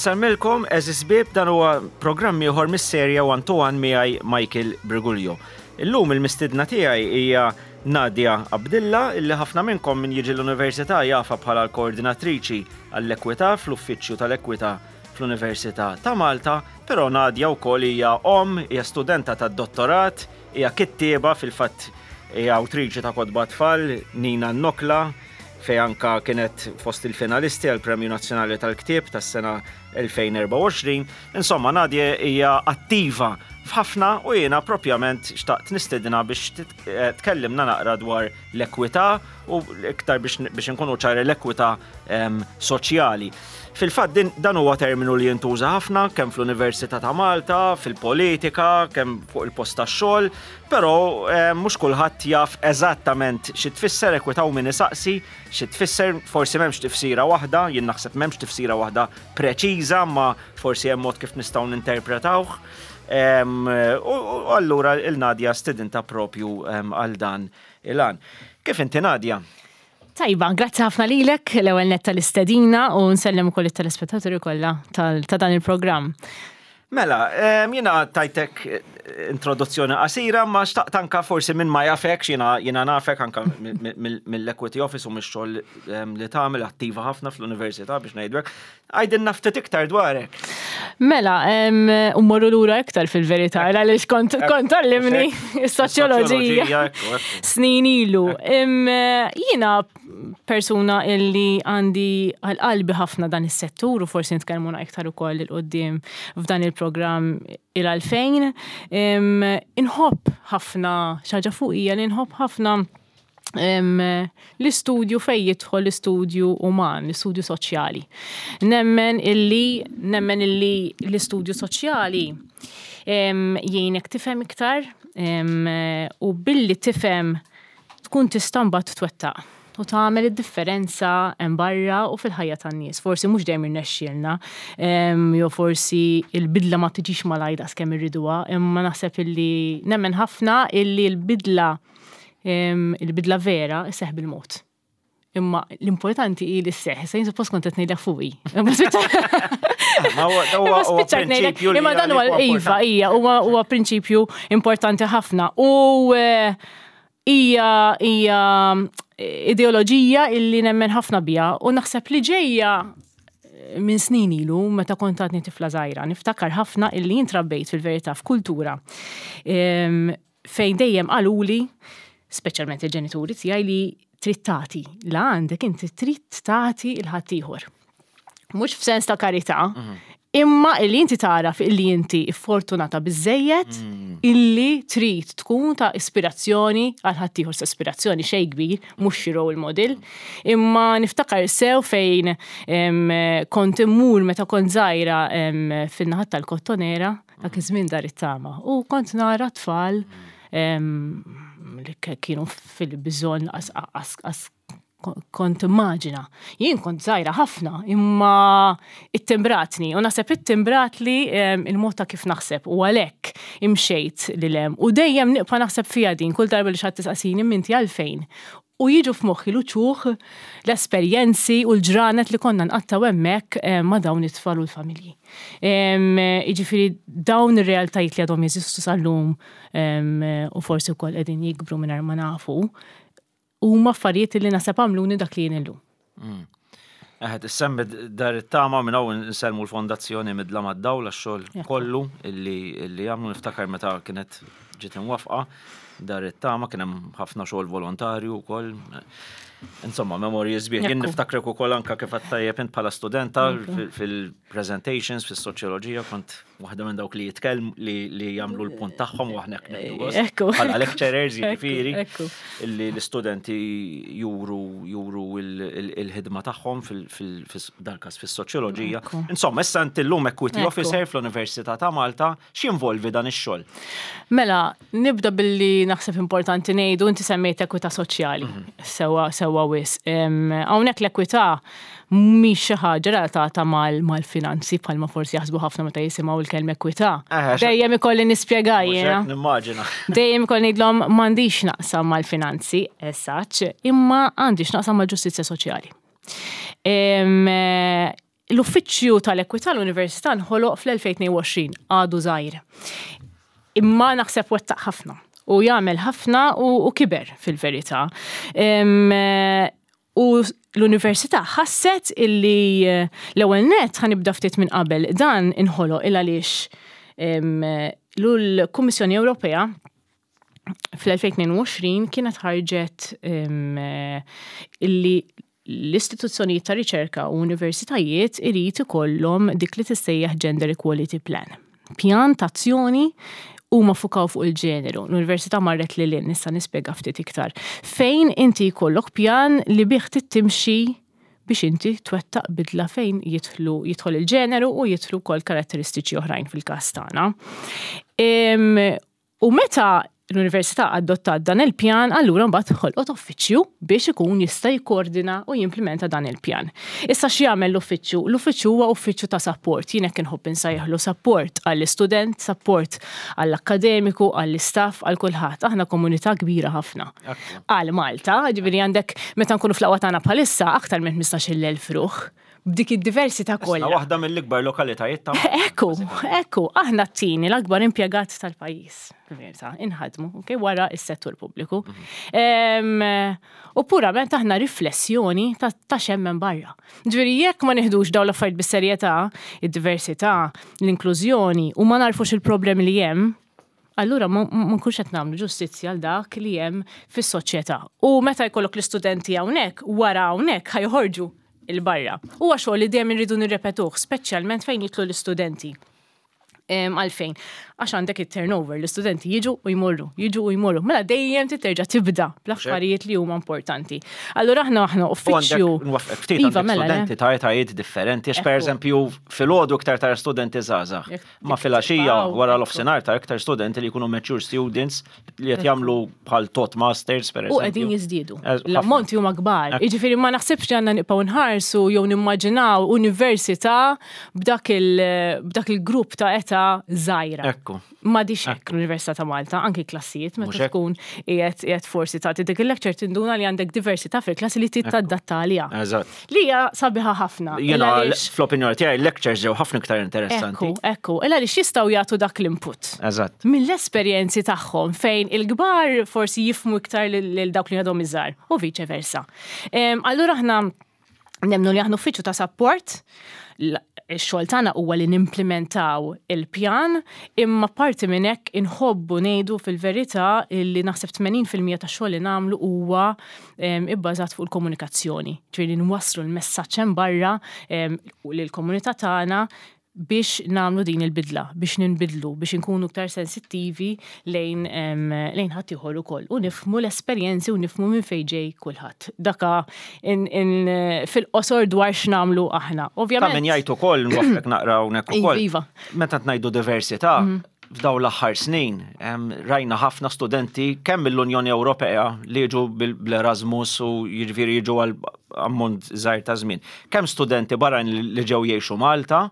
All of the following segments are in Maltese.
Insemmilkom, eżis bib, dan huwa programm ieħor mis-serja One to One miegħi Michael Briguglio. Illum il-mistidna tiegħi hija Nadia Abdilla, illi ħafna minnkom min jiġi l-Università jafa bħala l-koordinatriċi għall-ekwità fl-Uffiċċju tal-Ekwità fl-Università ta' Malta, però Nadia wkoll hija omm, hija studenta tad-dottorat, hija kittieba fil-fatt hija awtriċi ta' kotba tfal, Nina Nokla, fejn anka kienet fost il-finalisti għal Premju Nazzjonali tal-Ktieb tas-sena 2024. Insomma, Nadie hija attiva f'ħafna u jiena propjament xtaqt nistedina biex eh, tkellimna naqra dwar l-ekwità u iktar biex inkunu ċari l-ekwità ehm, soċjali. Fil-fatt dan huwa terminu li jintuża ħafna kemm fl-Università ta' Malta, fil-politika, kemm fuq il-post tax-xogħol, Però eh, mhux kulħadd jaf eżattament xi tfisser ekwità u min isaqsi xi tfisser, forsi m'hemmx tifsira waħda, jien naħseb m'hemmx tifsira waħda preċiża, ma forsi hemm mod kif nistgħu ninterpretawh. U allura il-Nadja stidinta propju għal dan il-għan. Kif inti Nadja? Tajba, grazzi ħafna lilek l-ewwel nett tal-istedina u nsellem ukoll it-telespettaturi kollha ta' dan il-programm. Mela, jiena tajtek eh, introduzzjoni qasira, ma xtaqt anka forsi minn ma jafek, jiena jiena nafek anka mill-Equity Office u mix-xogħol li tagħmel attiva ħafna fl-università biex ngħidlek. Għajdilna ftit iktar dwarek. Mela, u morru lura iktar fil-verità, għaliex kont kont għallimni s-soċjoloġija snin ilu. Jiena persuna illi għandi għal-qalbi ħafna dan is-settur u forsi nitkellmu iktar ukoll il qoddim f'dan il-programm il-għalfejn. Inħobb ħafna xaġa fuq hija li nħobb ħafna l-istudju fej jidħol l-istudju uman, l-istudju soċjali. Nemmen illi, nemmen illi l-istudju soċjali jgħinek tifhem iktar u billi tifhem tkun tista' mbagħad twettaq u tagħmel id-differenza hemm barra u fil-ħajja tan-nies. Forsi mhux dejjem irnexxielna, jew forsi l-bidla ma tiġix malajr daqs kemm irriduha, imma naħseb illi nemmen ħafna illi l-bidla Il-bidla vera isseħ bil-mod. Imma l-importanti hi li sseħ. Issa jien suppost kont qed ngħidlek fuqi. Imma spiċċajt ngħidlek. Imma dan huwa iva hija huwa prinċipju importanti ħafna. U eh, hija hija eh, ideoloġija illi nemmen ħafna biha u naħseb li ġejja eh, minn snin ilu meta kont għadni tifla żgħira. Niftakar ħafna illi jintrabbejt fil-verità f'kultura fejn dejjem qaluli, speċjalment il-ġenituri tiegħi li trid tagħti, la għandek inti trid tagħti il ħaddieħor. Mhux f'sens ta' karità, mhm. imma illi inti tara illi inti fortunata biżejjed mm. illi trid tkun ta' ispirazzjoni għal ħaddieħor sa' ispirazzjoni xejn kbir, mhux xi role model. Imma niftakar sew fejn kont immur meta kont żgħira fin-naħat tal-Kottonera Dak iż-żmien dar it-tama. U kont nara tfal li kienu fil-bżonn as kont immaġina. Jien kont żgħira ħafna, imma ittimbratni u naħseb ittimbratli il-mod ta' kif naħseb u għalhekk imxejt lil hemm. U dejjem nibqa' naħseb fiha din kull darba li xi ħadd tisaqsini minti għalfejn. U jiġu f'moħħi l-uċuħ, l-esperjenzi u l-ġranet li konna nqattgħu hemmhekk ma' dawn it-tfal u l-familji. Jiġifieri dawn ir-realtajiet li għadhom jeżistu sal-lum u forsi wkoll qegħdin jikbru mingħajr ma nafu, huma affarijiet li naħseb għamluni dak li jien illum. Mm. Eħed, issemmi dar it-tama minn hawn insellmu l-fondazzjoni Midla mad-Dawl għax-xogħol kollu illi jagħmlu niftakar meta kienet ġiet imwaffqa dar it-tama kien hemm ħafna xogħol volontarju wkoll. Insomma, memorji sbieħ. Jien niftakrek ukoll anka kif għedt tajjeb int bħala studenta fil-presentations fis-soċjoloġija kont waħda minn dawk li jitkellmu li jagħmlu l-punt tagħhom u aħna hekk Ekku. Bħala lecturers jiġifieri illi l-istudenti juru juru il-ħidma tagħhom fil-dal-każ fis-soċjoloġija. Insomma, issa inti llum equity officer fl-Università ta' Malta, x'jinvolvi dan ix-xogħol? Mela, nibda billi naħseb importanti ngħidu inti semmejt ekwità soċjali. Mhm. Sewa sewa wisq. Hawnhekk l-ekwità mhix xi ħaġa relatata mal-finanzi bħalma forsi jaħsbu ħafna meta jisimgħu l-kelma ekwità. Eh, Dejjem ikolli nispjega jiena. Nimmaġina. Dejjem ikolli ngħidlhom m'għandix naqsam mal-finanzi, as such, imma għandi x'naqsam mal-ġustizzja soċjali. L-Uffiċċju tal-Ekwità l-Università nħoloq fl-2022, għadu żgħir. Imma naħseb wettaq ħafna u jagħmel ħafna u kiber fil-verità. U l-università ħasset illi l-ewwel nett ħa nibda ftit minn qabel dan inħoloq il għaliex l-Kummissjoni Ewropea fl-2022 kienet ħarġet illi l-istituzzjonijiet ta' riċerka u universitajiet irid ikollhom dik li tissejjaħ Gender Equality Plan. Pjan ta' azzjoni huma fukaw fuq il-ġeneru. L-università marret lil hinn, nista' nispjega ftit iktar. Fejn inti jkollok pjan li bih tittimxi biex inti twettaq bidla fejn jidħlu jidħol il-ġeneru u jidħlu wkoll karatteristiċi oħrajn fil-każ tagħna. U meta l-Università adottat dan il-pjan, allura mbagħad ħolqot uffiċċju biex ikun jista' jikkoordina u jimplementa dan il-pjan. Issa x'jagħmel l-uffiċċju? L-uffiċċju huwa uffiċċju ta' sapport, jien hekk inħobb insejjaħlu sapport għall-istudent, sapport għall-akkademiku, għall-istaff, għal kulħadd. Aħna komunità kbira ħafna. Għal Malta, ġifieri għandek meta nkunu fl-aqwa tagħna bħalissa aktar minn 15,000 ruħ b'dik id-diversità kollha. Waħda mill-ikbar lokalitajiet ta' Ekku, ekku, aħna t-tieni l-akbar impjegat tal-pajjiż, fil-verità, inħadmu, ok, wara s-settur pubbliku. Mhm. U purament aħna riflessjoni ta' xemmen barra. Ġifieri jekk ma nieħdux dawn l-affarijiet bis-serjetà, id-diversità, l-inklużjoni u ma narfux il-problemi li hemm, allura ma nkunx qed nagħmlu ġustizzja għal dak li hemm fis-soċjetà. U meta jkollok l-istudenti hawnhekk, wara hawnhekk ħa joħorġu 'il barra. Huwa xogħol li dejjem irridu nirrepetuh, speċjalment fejn jidħlu l-istudenti. Għalfejn? Għax għandek it-turnover, l-istudenti jiġu u jmorru, jiġu u jmorru. Mela dejjem titerġa' tibda bl-affarijiet li huma importanti. Allura aħna aħna uffiċċju. Nwaffqek ftit iva, mela, studenti ta' etajiet differenti, għax pereżempju filgħodu iktar tara studenti żgħażagħ. Ma filgħaxija wara l-offsinar ta' iktar studenti li jkunu mature students li qed jagħmlu bħal tot masters per U qegħdin jiżdiedu. L-ammonti huma kbar. Jiġifieri ma naħsibx li għandna nibqgħu nħarsu jew nimmaġinaw università b'dak il-grupp ta' età żgħira. Ekku. M'għadhiex hekk l-Università ta' Malta, anki klassijiet meta tkun qiegħed qiegħed forsi tagħti dik il-lecture tinduna li għandek diversità fil-klassi li trid tadatta għaliha. Eżatt. Li hija sabiħa ħafna. Jiena fl-opinjoni tiegħi lectures ġew ħafna iktar interessanti. Ekku, ekku, illa għaliex jistgħu jagħtu dak l-input. Eżatt. Mill-esperjenzi tagħhom fejn il-kbar forsi jifhmu iktar lil dawk li għadhom iżgħar u viċe versa. Allura aħna Nemmnu li aħna uffiċċju ta' sapport, ix-xogħol tagħna huwa li nimplementaw il-pjan, imma parti minn hekk inħobbu ngħidu fil-verità li naħseb 80% tax-xogħol li nagħmlu huwa ibbażat fuq il-komunikazzjoni. Ġifieri nwasslu l-messaġġ hemm barra lill-komunità tagħna biex nagħmlu din il-bidla, biex ninbidlu, biex inkunu iktar sensittivi lejn lejn ħaddieħor ukoll u nifhmu l-esperjenzi u nifhmu minn fejn ġej kulħadd. Daka fil-qosor dwar x'nagħmlu aħna. Ovvjament. Ta' min jgħid ukoll nwaffqek naqra hawnhekk ukoll. Iva. Meta ngħidu diversità, f'dawn l-aħħar snin rajna ħafna studenti kemm mill-Unjoni Ewropea li jiġu bl-Erasmus u jiġifieri jiġu għal ammont żgħir ta' żmien. Kemm studenti barranin li ġew jgħixu Malta,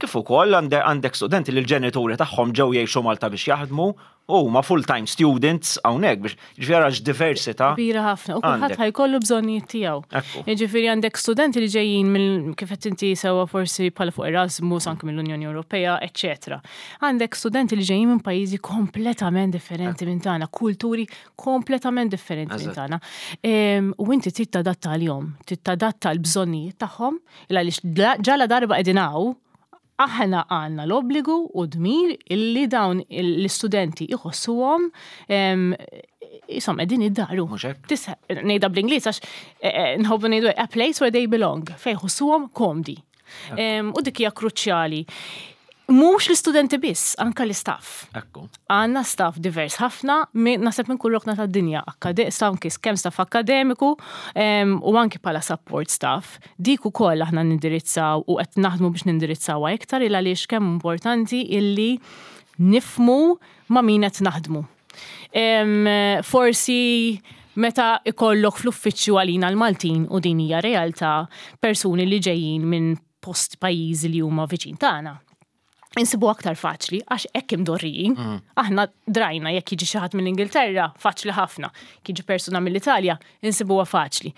kif ukoll għandek studenti li l-ġenituri tagħhom ġew jgħixu Malta biex jaħdmu u huma full-time students hawnhekk biex jiġifieri ara x'diversità. Kbira ħafna u kulħadd ħa jkollu bżonnijiet tiegħu. Jiġifieri għandek studenti li ġejjin mill kif qed inti sewwa forsi bħala fuq Erasmus anke mill-Unjoni Ewropea, eċċetera. Għandek studenti li ġejjin minn pajjiżi kompletament differenti minn tagħna, kulturi kompletament differenti minn tagħna. U inti trid tadatta għalihom, trid tadatta l-bżonnijiet tagħhom, għaliex ġala darba qegħdin hawn, aħna għandna l-obbligu u dmir illi dawn l-istudenti iħossuhom jisom qegħdin id-daru. Ngħidha bl-Ingliż għax eh, eh, nħobbu ngħidu a place where they belong, fejn jħossuhom komdi. U dik hija kruċjali. Mhux l-istudenti biss, anka l-istaff. Ekku. Għandna staff divers ħafna, naħseb minn kull rokna tad-dinja, anki kemm staff akkademiku u anki bħala support staff. Dik ukoll aħna nindirizzaw u qed naħdmu biex nindirizzawha iktar il għaliex kemm importanti illi nifmu ma' min qed naħdmu. Forsi meta ikollok fl-uffiċċju għalina l-Maltin u din hija realtà persuni li ġejjin minn post pajjiżi li huma viċin tagħna. Insibu aktar faċli għax hekk imdorrijin. Aħna drajna jekk jiġi xi ħadd mill-Ingilterra, faċli ħafna. Jekk jiġi persuna mill-Italja, insibuha faċli.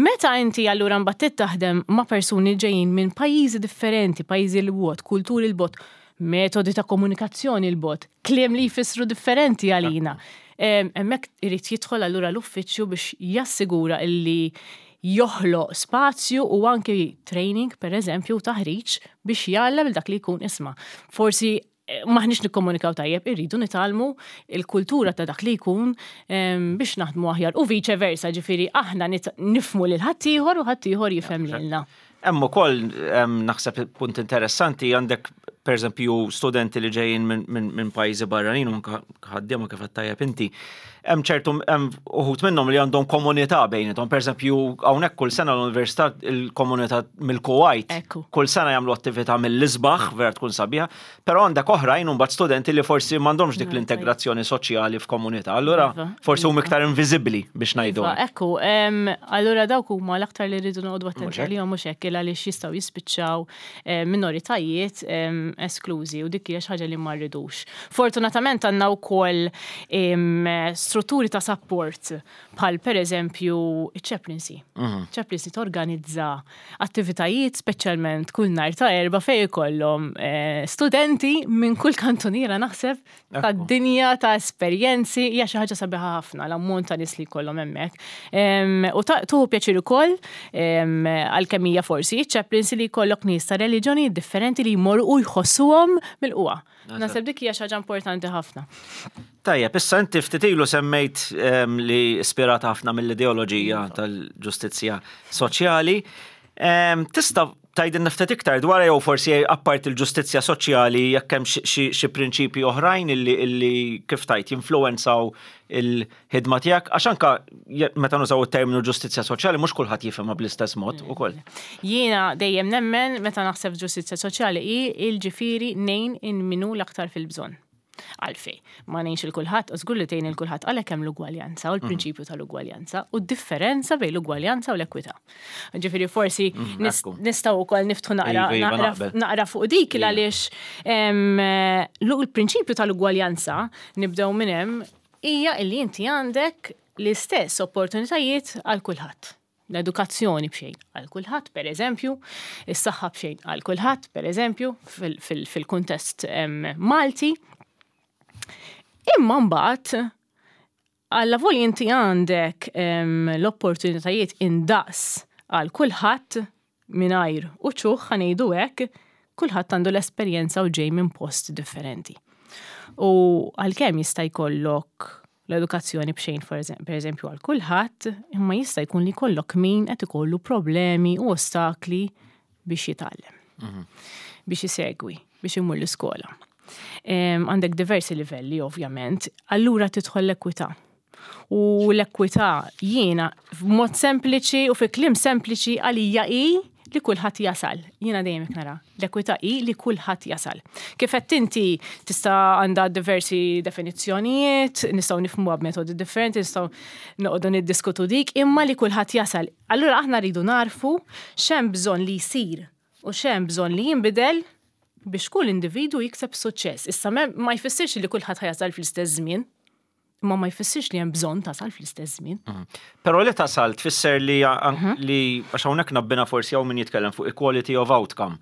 Meta inti allura mbagħad taħdem ma' persuni ġejjin minn pajjiżi differenti, pajjiżi 'l bogħod, kulturi 'l bogħod, metodi ta' komunikazzjoni 'l bogħod, kliem li jfissru differenti għalina. Hemmhekk irid jidħol allura l-uffiċċju biex jassigura illi joħloq spazju u anki training, per eżempju, u taħriġ biex jgħallem dak li jkun isma'. Forsi maħniex nikkomunikaw tajjeb, irridu nitgħallmu il-kultura ta' dak li jkun biex naħdmu aħjar u vice versa, ġifieri aħna nifhmu lil ħaddieħor u ħaddieħor jifhem lilna. Hemm ukoll naħseb punt interessanti, għandek pereżempju studenti li ġejjin minn pajjiżi barranin u anke ħaddiema kif qed tajjeb inti. Hemm ċertu hemm uħud minnhom li għandhom komunità bejniethom. Pereżempju hawnhekk kull sena l-università il-komunità mill-Kuwait. Kull sena jagħmlu attività mill-isbaħ, vera tkun sabiħa, però għandek oħrajn mbagħad studenti li forsi m'għandhomx dik l-integrazzjoni soċjali f'komunità. Allura forsi huma iktar inviżibbli biex ngħidu. Iva, ekku, allura dawk huma l-aktar li rridu noqogħdu attenti għalihom, mhux hekk, għaliex jistgħu jispiċċaw minoritajiet esklużi u dik hija xi ħaġa li ma rridux. Fortunatament għandna wkoll strutturi ta' support bħal pereżempju iċ-chaplaincy. Chaplaincy torganizza attivitajiet speċjalment kull nhar ta' Erbgħa fejn ikollhom studenti minn kull kantuniera naħseb tad-dinja, ta' esperjenzi, hija xi ħaġa sabiħa ħafna l-ammont ta' nies li jkollhom hemmhekk. U tuħu pjaċir ukoll, għalkemm hija forsi iċ-chaplaincy, li jkollok nies ta' reliġjonijiet differenti li jmorru u jħossuhom milqugħa. Naħseb dik hija xi ħaġa importanti ħafna. Tajjeb, issa inti ftit ilu semmejt li ispirata ħafna mill-ideoloġija tal-ġustizzja soċjali. Tista' tgħidilna ftit iktar dwar jew forsi apart il-ġustizzja soċjali jekk hemm xi prinċipji oħrajn illi kif tajt jinfluwenzaw il-ħidma tiegħek, għax anka meta nużaw it-terminu ġustizzja soċjali mhux kulħadd jifhimha bl-istess mod ukoll. Jiena dejjem nemmen, meta naħseb ġustizzja soċjali, hi il-ġifieri ngħin in min hu l-aktar fil-bżonn. Għalfej, ma ngħinx 'il kulħadd, żgur li tgħin 'il kulħadd, għalhekk hemm l-ugwaljanza u l-prinċipju tal-ugwaljanza u d-differenza bejn l-ugwaljanza u l-ekwità. Ġifieri forsi nistgħu wkoll niftħu naqra Iva, iva, naqbel. naqra fuq dik għaliex l-prinċipju tal-ugwaljanza, nibdew minn hemm, hija illi inti għandek l-istess opportunitajiet għal kulħadd. L-edukazzjoni b'xejn għal kulħadd, per eżempju, is-saħħa b'xejn għal kulħadd, per eżempju, fil-kuntest Malti. Imma mbagħad alla voli inti għandek l-opportunitajiet indaqs għal kulħadd mingħajr uċuħ, ħa ngħidu hekk, kulħadd għandu l-esperjenza u ġej minn post differenti. U għalkemm jista' jkollok l-edukazzjoni b'xejn per eżempju għal kulħadd, imma jista' jkun li jkollok min qed ikollu problemi u ostakli biex jitgħallem, biex isegwi, biex imur l-iskola. Għandek diversi livelli ovvjament, allura tidħol l-ekwità. U l-ekwità jiena f'mod sempliċi u fi kliem sempliċi għalija hi li kulħadd jasal. Jiena dejjem hekk nara. L-ekwità hi li kulħadd jasal. Kif qed inti, tista' għandha diversi definizzjonijiet, nistgħu nifhmuha b'metodi differenti, nistgħu noqogħdu niddiskutu dik, imma li kulħadd jasal. Allura aħna rridu narfu x'hemm bżonn li jsir u x'hemm bżonn li jinbidel biex kull individu jikseb suċċess. Issa ma jfissirx li kulħadd ħa jasal fl-istess żmien, imma ma jfissirx li hemm bżonn tasal fl-istess żmien. Però li tasal tfisser li għax hawnhekk nabbina forsi hawn min jitkellem fuq equality of outcome.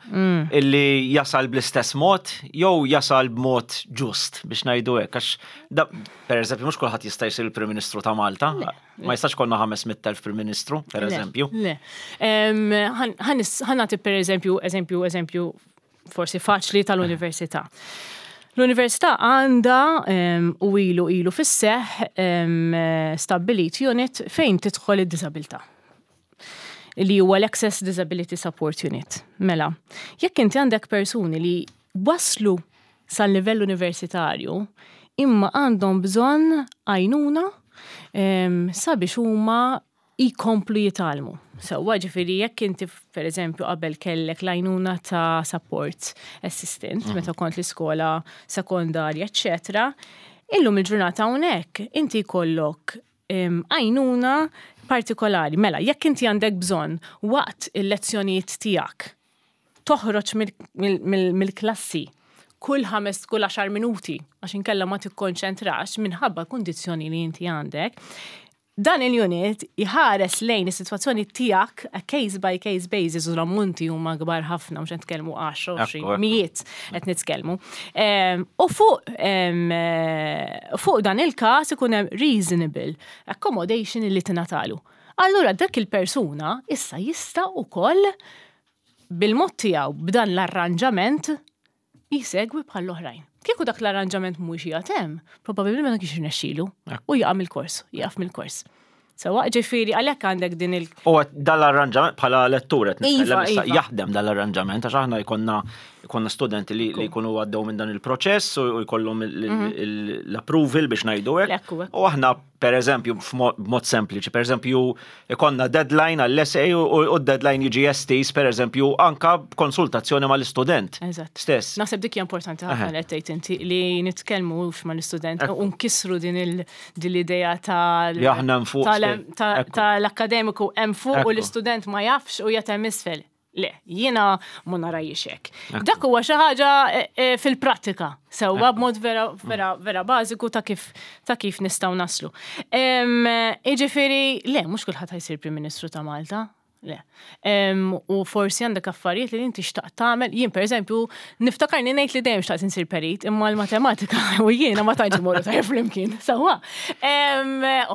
Illi jasal bl-istess mod jew jasal b'mod ġust biex ngħidu hekk, għax da, per eżempju, mhux kulħadd jista' jsir il-Prim Ministru ta' Malta. Ma jistax konna 500,000 Prim Ministru, per Le, eżempju. Le. Ħa nagħti per eżempju, eżempju, eżempju forsi faċli tal-università. L-università għandha u ilu fis-seħ stabbilit unit fejn tidħol id-disabilità, li huwa l-Access Disability Support Unit. Mela, jekk inti għandek persuni li waslu sal-livell universitarju imma għandhom bżonn għajnuna sabiex huma jkomplu jitgħallmu. Sewwa, ġifieri jekk inti per eżempju qabel kellek l-għajnuna ta' support assistant meta kont l-iskola sekondarja, eccetera, illum il-ġurnata hawnhekk inti jkollok għajnuna partikolari. Mela, jekk inti għandek bżonn waqt il-lezzjonijiet tiegħek toħroġ mill-klassi. kull ħames kull għaxar minuti għax inkella ma tikkonċentrax minħabba kundizzjoni li inti għandek. Dan il-unit iħares lejn is-sitwazzjoni tiegħek a case by case basis u l-ammonti huma kbar ħafna mhux qed nitkellmu 10, 20, mijiet qed nitkellmu. U fuq fuq dan il-każ ikun hemm reasonable accommodation li tingħatalu. Allura dak il-persuna issa jista' ukoll bil-mod tiegħu b'dan l-arranġament jsegwi bħall-oħrajn. Kieku dak l-arranġament mhuwiex qiegħed hemm, probabbilment ma kienx irnexxielu u jaqa' mill-kors, jaqaf mill-kors. Sewwa, ġifieri għalhekk għandek din il- U dal-arranġament bħala lettur qed Iva, nitkellem issa iva. jaħdem dal-arranġament għax aħna jkollna jkollna studenti li li jkunu għaddew minn dan il-proċess u jkollhom l-approval biex ngħidu hekk. Ekku, ekku. U aħna per eżempju, b'mod sempliċi, per eżempju, ikonna deadline għall-essay u d-deadline jiġi estiż, per eżempju, anka b'konsultazzjoni mal-istudent. Eżatt. Stess. Naħseb dik hija importanti ħafna li qed tgħid inti li nitkellmu mal-istudent u nkissru din l-idea tal- Li aħna hemm fuq tal-akkademiku hemm fuq u l-istudent ma jafx u qiegħed hemm isfel. Le, jiena ma narajiex hekk. Dak huwa xi ħaġa eh, eh, fil-prattika, sewwa b'mod vera vera vera bażiku ta' kif ta' kif nistgħu naslu. Jiġifieri, le, mhux kulħadd ħa jsir Prim Ministru ta' Malta. Le. U forsi għandek affarijiet li inti xtaqt tagħmel. Jien pereżempju niftakarni ngħid li dejjem xtaqt insir perit, imma l-matematika u jiena ma tantx imorru tajjeb flimkien. Sewwa.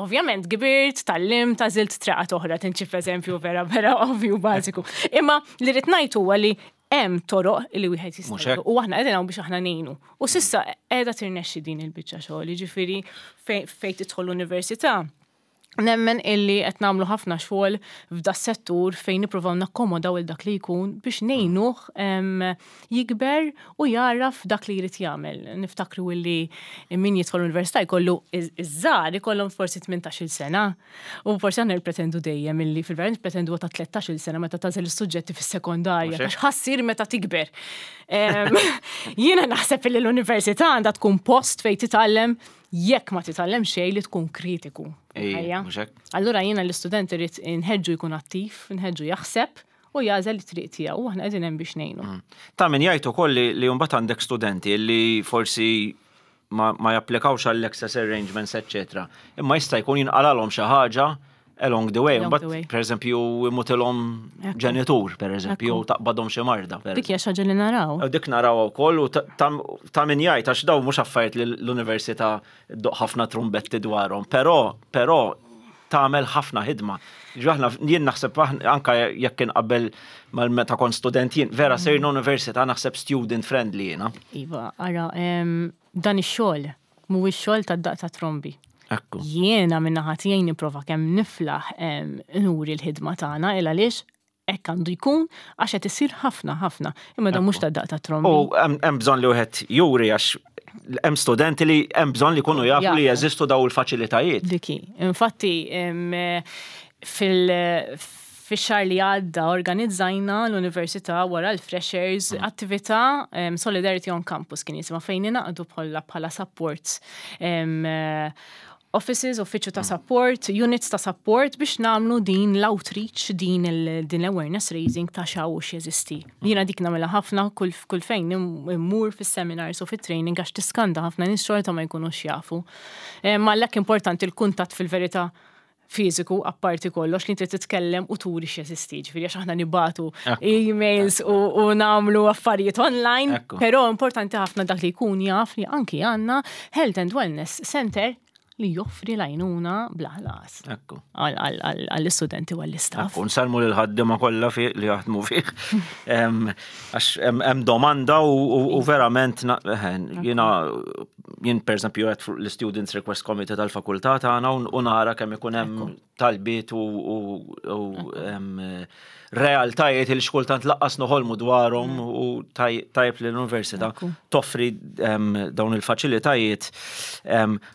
Ovvjament kbirt, tgħallimt, għażilt triqat oħra, tinċi f'eżempju vera vera ovvju bażiku. Imma li rrid ngħid huwa li hemm toroq li wieħed Mhux jista' hekk? u aħna qegħdin hawn biex aħna ngħinu. U s'issa qiegħda tirnexxi din il-biċċa xogħol, jiġifieri fejn tidħol l-università. Nemmen illi qed nagħmlu ħafna xogħol f'da settur fejn nippruvaw nakkomodaw il dak li jkun biex ngħinuh jikber u jaraf dak li jrid jagħmel. Niftakru illi min jidħol l-università jkollu iż-żgħar ikollhom forsi 18-il sena. U forsi aħna nippretendu dejjem illi fil-verità nippretendu ta' 13-il sena meta tagħżel is-suġġetti fis-sekondarja Mhux hekk? għax ħa ssir meta tikber. Jiena naħseb illi l-università għandha tkun post fejn titgħallem jekk ma titgħallem xejn li tkun kritiku. Ej, Ħajja. mhux hekk? Allura jiena l-istudent irid inħeġġu jkun attiv, inħeġġu jaħseb u jagħżel it-triq tiegħu u aħna qegħdin hemm biex ngħinu. Ta' min jgħid ukoll li mbagħad għandek studenti li forsi ma japplikawx għall-access arrangements, eccetera. Imma jista' jkun jinqalalhom xi ħaġa along the way. Along Mbagħad, the way. per eżempju, imutilhom ġenitur, per eżempju, jew taqbadhom xi marda. per Dik hija xi ħaġa li naraw. U dik naraw ukoll u ta' min jgħid għax daw mhux affarijiet li l-università ddoqq ħafna trumbetti dwarhom, però tagħmel ħafna ħidma. Ġi aħna jien naħseb anka jekk kien qabel mal-meta kont student jien vera sirna università naħseb student friendly jiena. Iva, ara, dan ix-xogħol mhuwiex xogħol tad-daqq ta' trombi. Ekku. Jiena min-naħa tiegħi nipprova kemm niflaħ nuri l-ħidma tagħna il għaliex hekk għandu jkun għax qed isir ħafna ħafna. Imma dan mhux tad-daqq ta' trombi. U hemm bżonn li wieħed juri għax hemm studenti li hemm bżonn li jkunu jafu li Jafu. jeżistu daw il-faċilitajiet. Diki. Infatti, fil-xahar li għadda organizzajna l-Università wara l-Freshers attività Solidarity on Campus kien jisimha fejn ingħaqdu bħala support offices, uffiċċju ta' support, units ta' support biex nagħmlu din l-outreach, din l-awareness raising ta' x'hawn u x'jeżisti. Jiena dik nagħmilha ħafna kull fejn immur fis-seminars u fit-training għax tiskanda ħafna nies xorta ma jkunux jafu. Ma għalhekk importanti l-kuntatt fil-verità fiżiku apparti kollox li inti titkellem u turi x'jeżisti, ġifieri għax aħna nibagħtu emails u nagħmlu affarijiet online, però importanti ħafna dak li jkun jaf li anki għandna Health and Wellness Center li joffri l-għajnuna bla ħlas. Għall-istudenti u għall-istaff. Ekku, nsellmu lil ħaddiema kollha li jaħdmu fih. Għax hemm domanda u verament jiena jien per eżempju qed fuq l-Students Request Committee tal-fakultà tagħna u nara kemm ikun hemm talbiet u realtajiet li xkultant lanqas noħolmu dwarhom u tajjeb li l-università toffri dawn il-faċilitajiet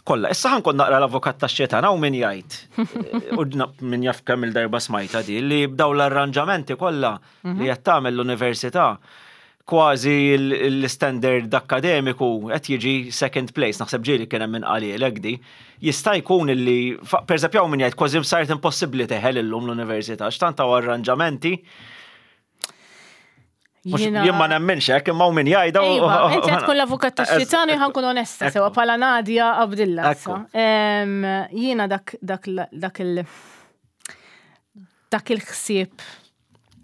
kollha. Issa ħa nkun naqra l-avukat tax-xitan hawn min jgħid u min jaf kemm il-darba smajta di li b'daw l-arranġamenti kollha li qed tagħmel l-università kważi l-standard akademiku qed jiġi second place, naħseb ġieli kien hemm min qalhielek di. Jista' jkun illi, per eżempju hawn min jgħid kważi saret impossibbli teħel illum l-università, x'tant hawn arranġamenti. Jien ma nemminx hekk imma min jgħidha. Iva, inti qed tkun l-avukat tax-xitan u ħankun onesta sewa bħala Nadia Abdilla. Jiena dak dak dak il dak il-ħsieb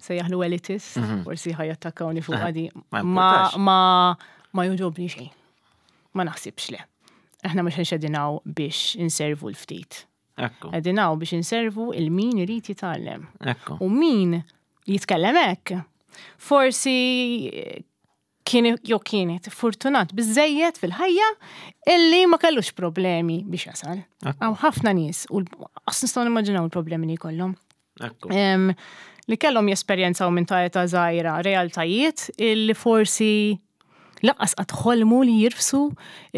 se jaħlu elitist, mhm. forsi ħajattakkawni fuq għadi. Ma ma ma joġobni xejn. Ma naħsibx le. Aħna mhux nxedinaw biex inservu l-ftit. Qegħdin hawn biex inservu il-min irid jitgħallem. U min jitkellem hekk, forsi kien jew kienet fortunat biżejjed fil-ħajja illi ma kellux problemi biex jasal. Hawn ħafna nies u qas nistgħu nimmaġinaw il-problemi li jkollhom. Li kellhom jesperjenzaw minn ta' età żgħira realtajiet illi forsi lanqas qatt ħolmu li jirfsu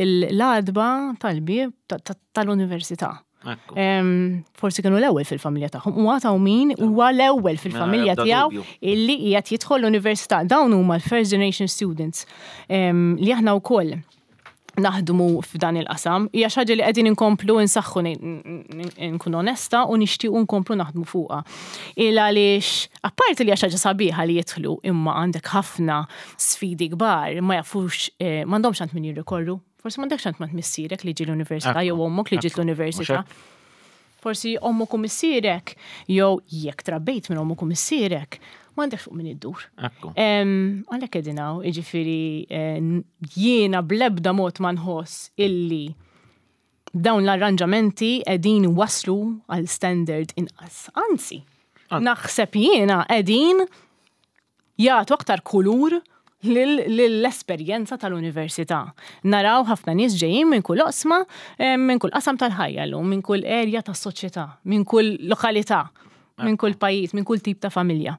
l-għatba tal-bieb tal-università. Forsi kienu l-ewwel fil-familja tagħhom. U għataw min huwa l-ewwel fil-familja tiegħu illi qiegħed jidħol l-università. Dawn huma l-first generation students li aħna wkoll naħdmu f'dan il-qasam. Hija xi ħaġa li qegħdin inkomplu nsaħħu nkun onesta u nixtiequ nkomplu naħdmu fuqha. Il għaliex apparti li hija xi ħaġa sabiħa li jidħlu imma għandek ħafna sfidi kbar ma jafux eh, m'għandhomx għand min jirrikorru. Forsi m'għandekx għand ma missierek li ġie l-università jew ommok li ġiet l-università. Forsi ommok u missierek, jew jekk trabbejt minn ommok u missierek, m'għandekx fuq min iddur. Għalhekk qegħdin hawn, jiġifieri eh, jiena bl-ebda mod ma nħoss illi dawn l-arranġamenti qegħdin waslu għal standard inqas. Anzi, naħseb jiena qegħdin jagħtu aktar kulur lill-esperjenza tal-università. Naraw ħafna nies ġejjin minn kull oqsma, eh, minn kull qasam tal-ħajja llum, minn kull erja tas-soċjetà, minn kull lokalità, minn kull pajjiż, minn kull tip ta' familja.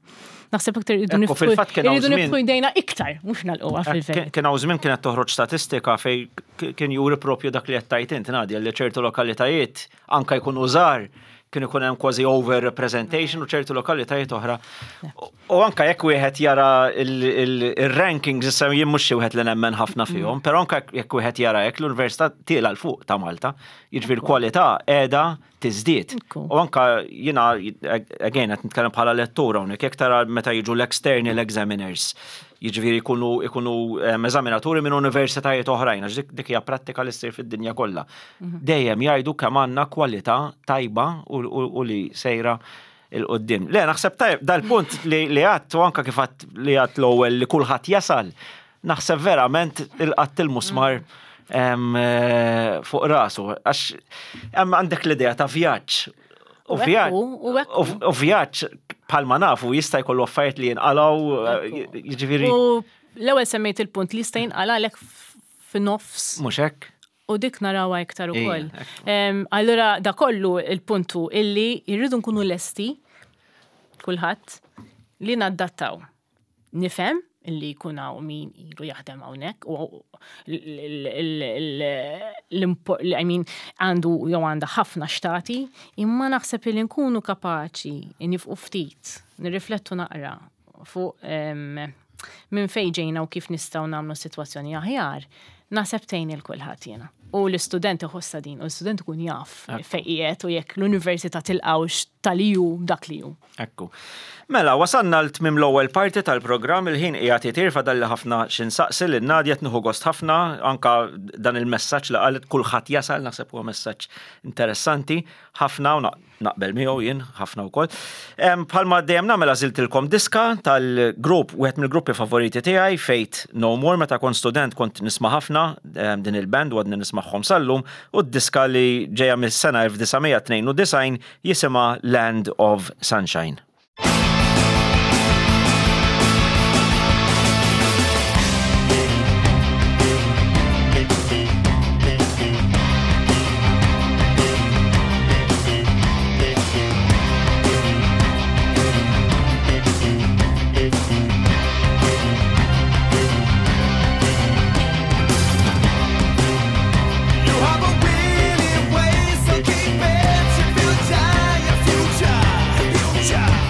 Naħseb iktar irridu niftħu jdejna iktar, mhux nagħlquha eh, fil-verità. Kien hawn żmien kienet toħroġ statistika fej kien juri propju dak li qed tgħid int Nadia li ċertu lokalitajiet anka jkunu żgħar kien ikun hemm kważi over representation u ċertu lokalitajiet oħra. U anka jekk wieħed jara il-rankings issa jien mhux xi wieħed li nemmen ħafna fihom, però anka jekk wieħed jara hekk l-Università tiela l fuq ta' Malta, jiġifieri l-kwalità qiegħda tiżdied. U anka jiena again qed nitkellem bħala lettur hawnhekk jekk tara meta jiġu l-external examiners, jiġifieri jkunu jkunu eżaminaturi minn universitajiet oħrajn, għax dik hija prattika li ssir fid-dinja kollha. Mhm. Dejjem jgħidu kemm għandna kwalità tajba u li sejra il-qoddim. Le, naħseb tajb, dal-punt li għadt u anka kif għadt li għadt l-ewwel li kulħadd jasal, naħseb verament il-qatt il-musmar eh, fuq rasu. Għax hemm għandek l-idea ta' vjaġġ. U vjaġġ u vjaġġ bħalma nafu jista' jkollu affarijiet li jinqalgħu, eh, jiġifieri. U l-ewwel semmejt il-punt li jista' jinqalgħalek f'nofs. Mhux hekk? U dik narawha iktar ukoll. Allura da kollu il-puntu illi jridu nkunu lesti kulħadd li naddattaw. Nifhem illi jkun hawn min ilu jaħdem hawnhekk u I mean għandu jew għandha ħafna xtati, imma naħseb illi nkunu kapaċi nifqu ftit, nirriflettu naqra fuq minn fejn ġejna u kif nistgħu nagħmlu s-sitwazzjoni aħjar, naħseb tgħin il kulħadd jiena. U l-istudent iħossha din, u l-istudent ikun jaf fejn qiegħed u jekk l-università tilqgħux tal-li hu dak li hu. Ekku. Mela, wasalna l tmiem l-ewwel parti tal-programm, il-ħin qiegħed itir fadalli ħafna xi nsaqsi lil Nadia qed nieħu gost ħafna anka dan il-messaġġ li qalet kulħadd jasal naħseb huwa messaġġ interessanti ħafna u Naqbel miegħu jien ħafna wkoll. Bħalma dejjem nagħmel għażiltilkom diska tal-grupp, wieħed mill-gruppi favoriti tiegħi, Faith No More, meta kont student kont nisma' ħafna din il-band u għadni nismagħhom sal-lum, u d-diska li ġejja mis-sena 1992 jisimha Land of Sunshine. You have a winning way, so keep it. If you die, your future, future.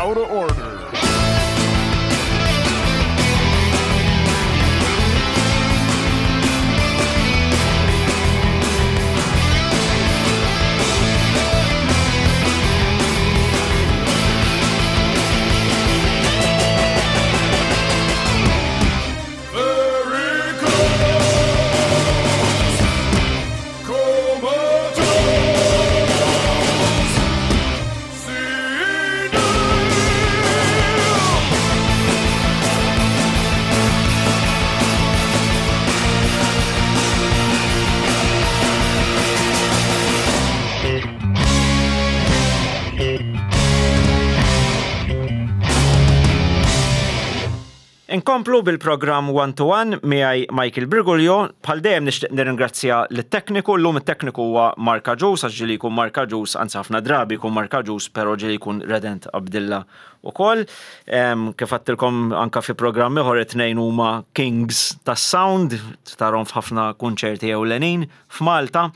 Out of order. Inkomplu bil-programm One to One miegħi Michael Briguglio. Bħal dejjem nixtieq nirringrazzja lit-tekniku. Llum it-tekniku huwa Mark Agius, għax ġieli jkun Mark Agius, anzi ħafna drabi jkun Mark Agius, però ġieli jkun Redent Abdilla ukoll. Kif għedtilkom anka fi programm ieħor it-tnejn huma kings tas-sound, tarhom f'ħafna kunċerti ewlenin f'Malta.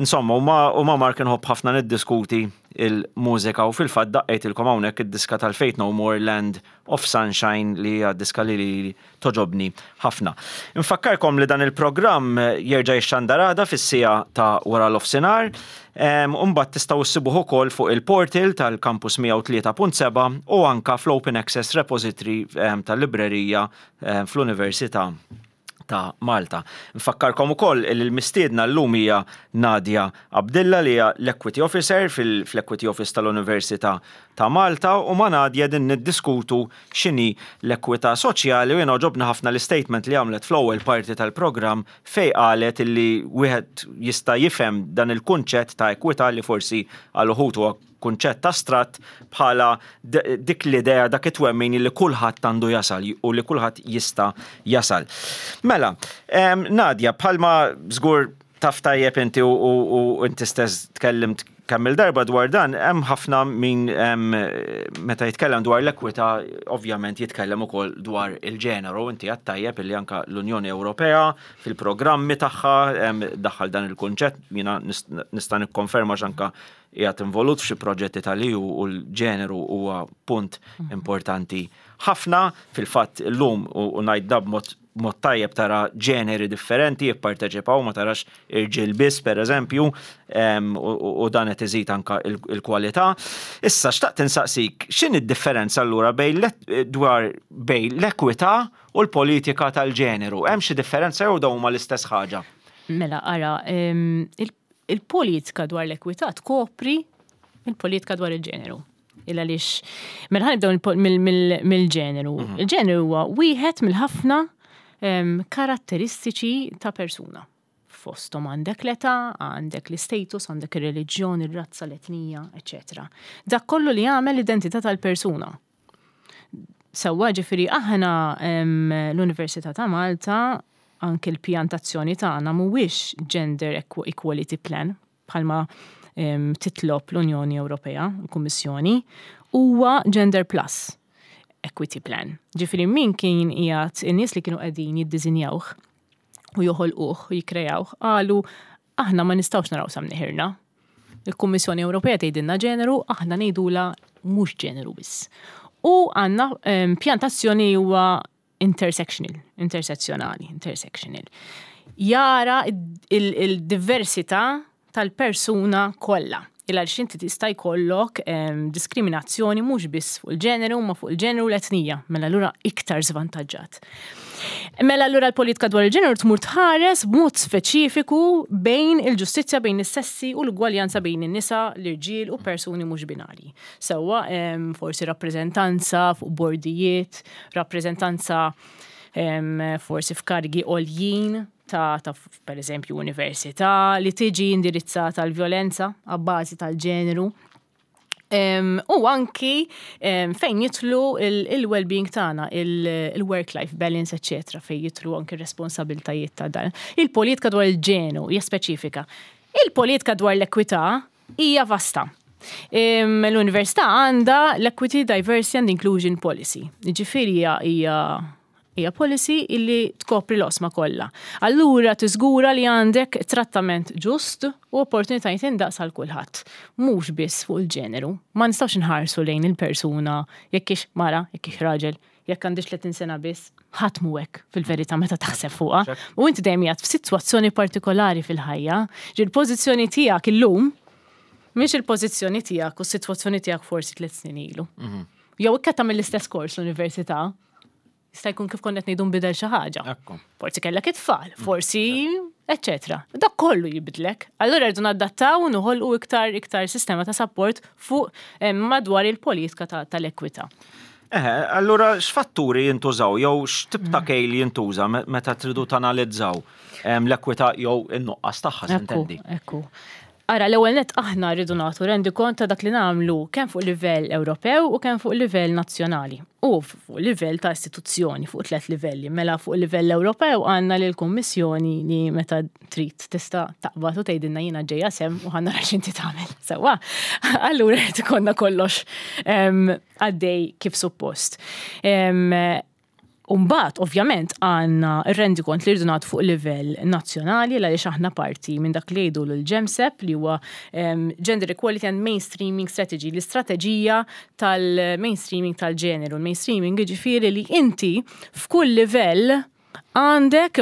Insomma, u ma' Mark inħobb ħafna niddiskuti il-mużika u fil-fatt daqqejtilkom hawnhekk id-diska tal-Faith No More Land of Sunshine li hija diska li lili toġobni ħafna. Infakkarkom li dan il-programm jerġa' jixxandar għada fis-siegħa ta' wara l-ofsinhar. U mbagħad tistgħu issibuh ukoll fuq il-portal tal-Campus 103.7 u anka fl-Open Access Repository tal-librerija fl-Università ta' Malta. Nfakkarkom ukoll li l-mistiedna llum hija Nadia Abdilla li hija l-Equity Officer fl-Equity Office tal-Università ta' Malta u ma' Nadia din niddiskutu x'inhi l-ekwità soċjali u jiena għoġobni ħafna l-istatement li għamlet fl-ewwel parti tal-programm fejn qalet illi wieħed jista' jifhem dan il-kunċett ta' ekwità li forsi għal uħud huwa kunċett astratt bħala dik l-idea, dak it-twemmin li kulħadd għandu jasal u li kulħadd jista' jasal. Mela, Nadia, bħalma żgur taf tajjeb inti u inti stess tkellimt kemm il-darba dwar dan, hemm ħafna min meta jitkellem dwar l-ekwità, ovvjament jitkellem ukoll dwar il-ġeneru, inti għad tajjeb illi anka l-Unjoni Ewropea fil-programmi tagħha daħħal dan il-kunċett, jiena nista' nikkonferma x'anka qiegħed involut f'xi proġetti tal-EU u l-ġeneru huwa punt mhm. importanti ħafna. Fil-fatt illum u ngħid da b'mod mod tajjeb tara ġeneri differenti jipparteċipaw ma tarax irġiel biss pereżempju u dan qed iżid anka il-kwalità. Issa xtaqt insaqsik x'inhi d-differenza allura bejn dwar bejn l-ekwità u l-politika tal-ġeneru? Hemm xi differenza jew dawn huma l-istess ħaġa? Mela ara, il-politika dwar l-ekwità tkopri il-politika dwar il-ġeneru. Il għaliex, mela ħanibdew mill-ġeneru. Mhm. Il-ġeneru huwa wieħed mill-ħafna karatteristiċi ta' persuna. Fosthom għandek l-età, għandek l-istatus, għandek ir-reliġjon, ir-razza, l-etnija, eċetera. Dak kollu li jagħmel l-identità tal-persuna. Sewwa, ġifieri aħna l-Università ta' Malta anke l-pjan t'azzjoni tagħna mhuwiex gender equality plan bħalma titlob l-Unjoni Ewropea, l-Kummissjoni, huwa gender plus equity plan. Ġifieri min kien qiegħed in-nies li kienu qegħdin jiddiżinjawh u joħolquh u jikkreawh qalu aħna ma nistgħux naraw sa mneħirna. Il-Kummissjoni Ewropea tgħidilna ġeneru, aħna ngħidulha mhux ġeneru biss. U għandna ehm, pjan tazzjoni huwa intersectional, intersezzjonali, intersectional. Jara il-diversità tal-persuna kollha. Il għaliex inti tista' jkollok ehm, diskriminazzjoni mhux biss fuq il-ġeneru, ma fuq il-ġeneru l-etnija, mela allura iktar żvantaġġat. Mela allura l-politika dwar il-ġeneru tmur tħares b'mod speċifiku bejn il-ġustizzja bejn is-sessi u l-ugwaljanza bejn in-nisa, l-irġiel u persuni mhux binarji. Sewwa forsi rappreżentanza fuq bordijiet, rappreżentanza forsi f'karigi għoljin ta', ta per eżempju università li tiġi indirizzata l-vjolenza għabbażi tal-ġeneru. U anki fejn jitlu il-well-being tagħna, il-work-life balance, eċetera, fejn jitlu anki responsabiltajiet ta' dan. Il-politika dwar il-ġenu hija speċifika. Il-politika dwar l-ekwità hija vasta. L-università għandha l-Equity, Diversity and Inclusion Policy. Ġifieri hija Hija policy illi tkopri l-oqsma kollha. Allura tiżgura li għandek trattament ġust u opportunitajiet indaqs għal kulħadd. Mhux biss fuq il-ġeneru. Ma nistgħux inħarsu lejn il-persuna jekk hix mara, jekk hix raġel, jekk għandhiex 30 sena biss. Ħadd mhu hekk fil-verità meta taħseb fuqha. U inti dejjem qiegħed f'sitwazzjoni partikolari fil-ħajja. Ġifieri l-pożizzjoni tiegħek illum mhix il-pożizzjoni tiegħek u s-sitwazzjoni tiegħek forsi tliet snin ilu. Jew ikka tagħmel l-istess kors l-università, jista' jkun kif konna qed ngħidu nbidel xi ħaġa. Forsi kellek it-tfal, forsi eċetera. Dak kollu jibdlek. Allura rridu nadattaw u noħolqu iktar iktar sistema ta' support fuq eh, madwar il-politika tal-ekwità. Eh, allura x'fatturi jintużaw jew x'tip ta' kejl jintuża meta tridu tanalizzaw l-ekwità jew in-nuqqas tagħha s'intendi? Ekku. Ara, l-ewwel nett aħna rridu nagħtu rendikont ta' dak li nagħmlu kemm fuq livell Ewropew u kemm fuq livell nazzjonali u fuq livell ta' istituzzjoni fuq tlett livelli. Mela fuq livell Ewropew għandna lill-Kummissjoni li meta trid tista' taqbad u tgħidilna jiena ġejja s'hemm u ħa nara x'inti tagħmel. Sewwa. Allura jrid ikollna kollox għaddej kif suppost. U mbagħad, ovvjament, għandna r-rendikont li rridu nagħtu fuq livell nazzjonali għaliex aħna parti minn dak li jgħidu l-GEMSEP li huwa Gender Equality and Mainstreaming Strategy, l-istrateġija tal-mainstreaming tal-ġeneru. Il-mainstreaming jiġifieri li inti f'kull livell għandek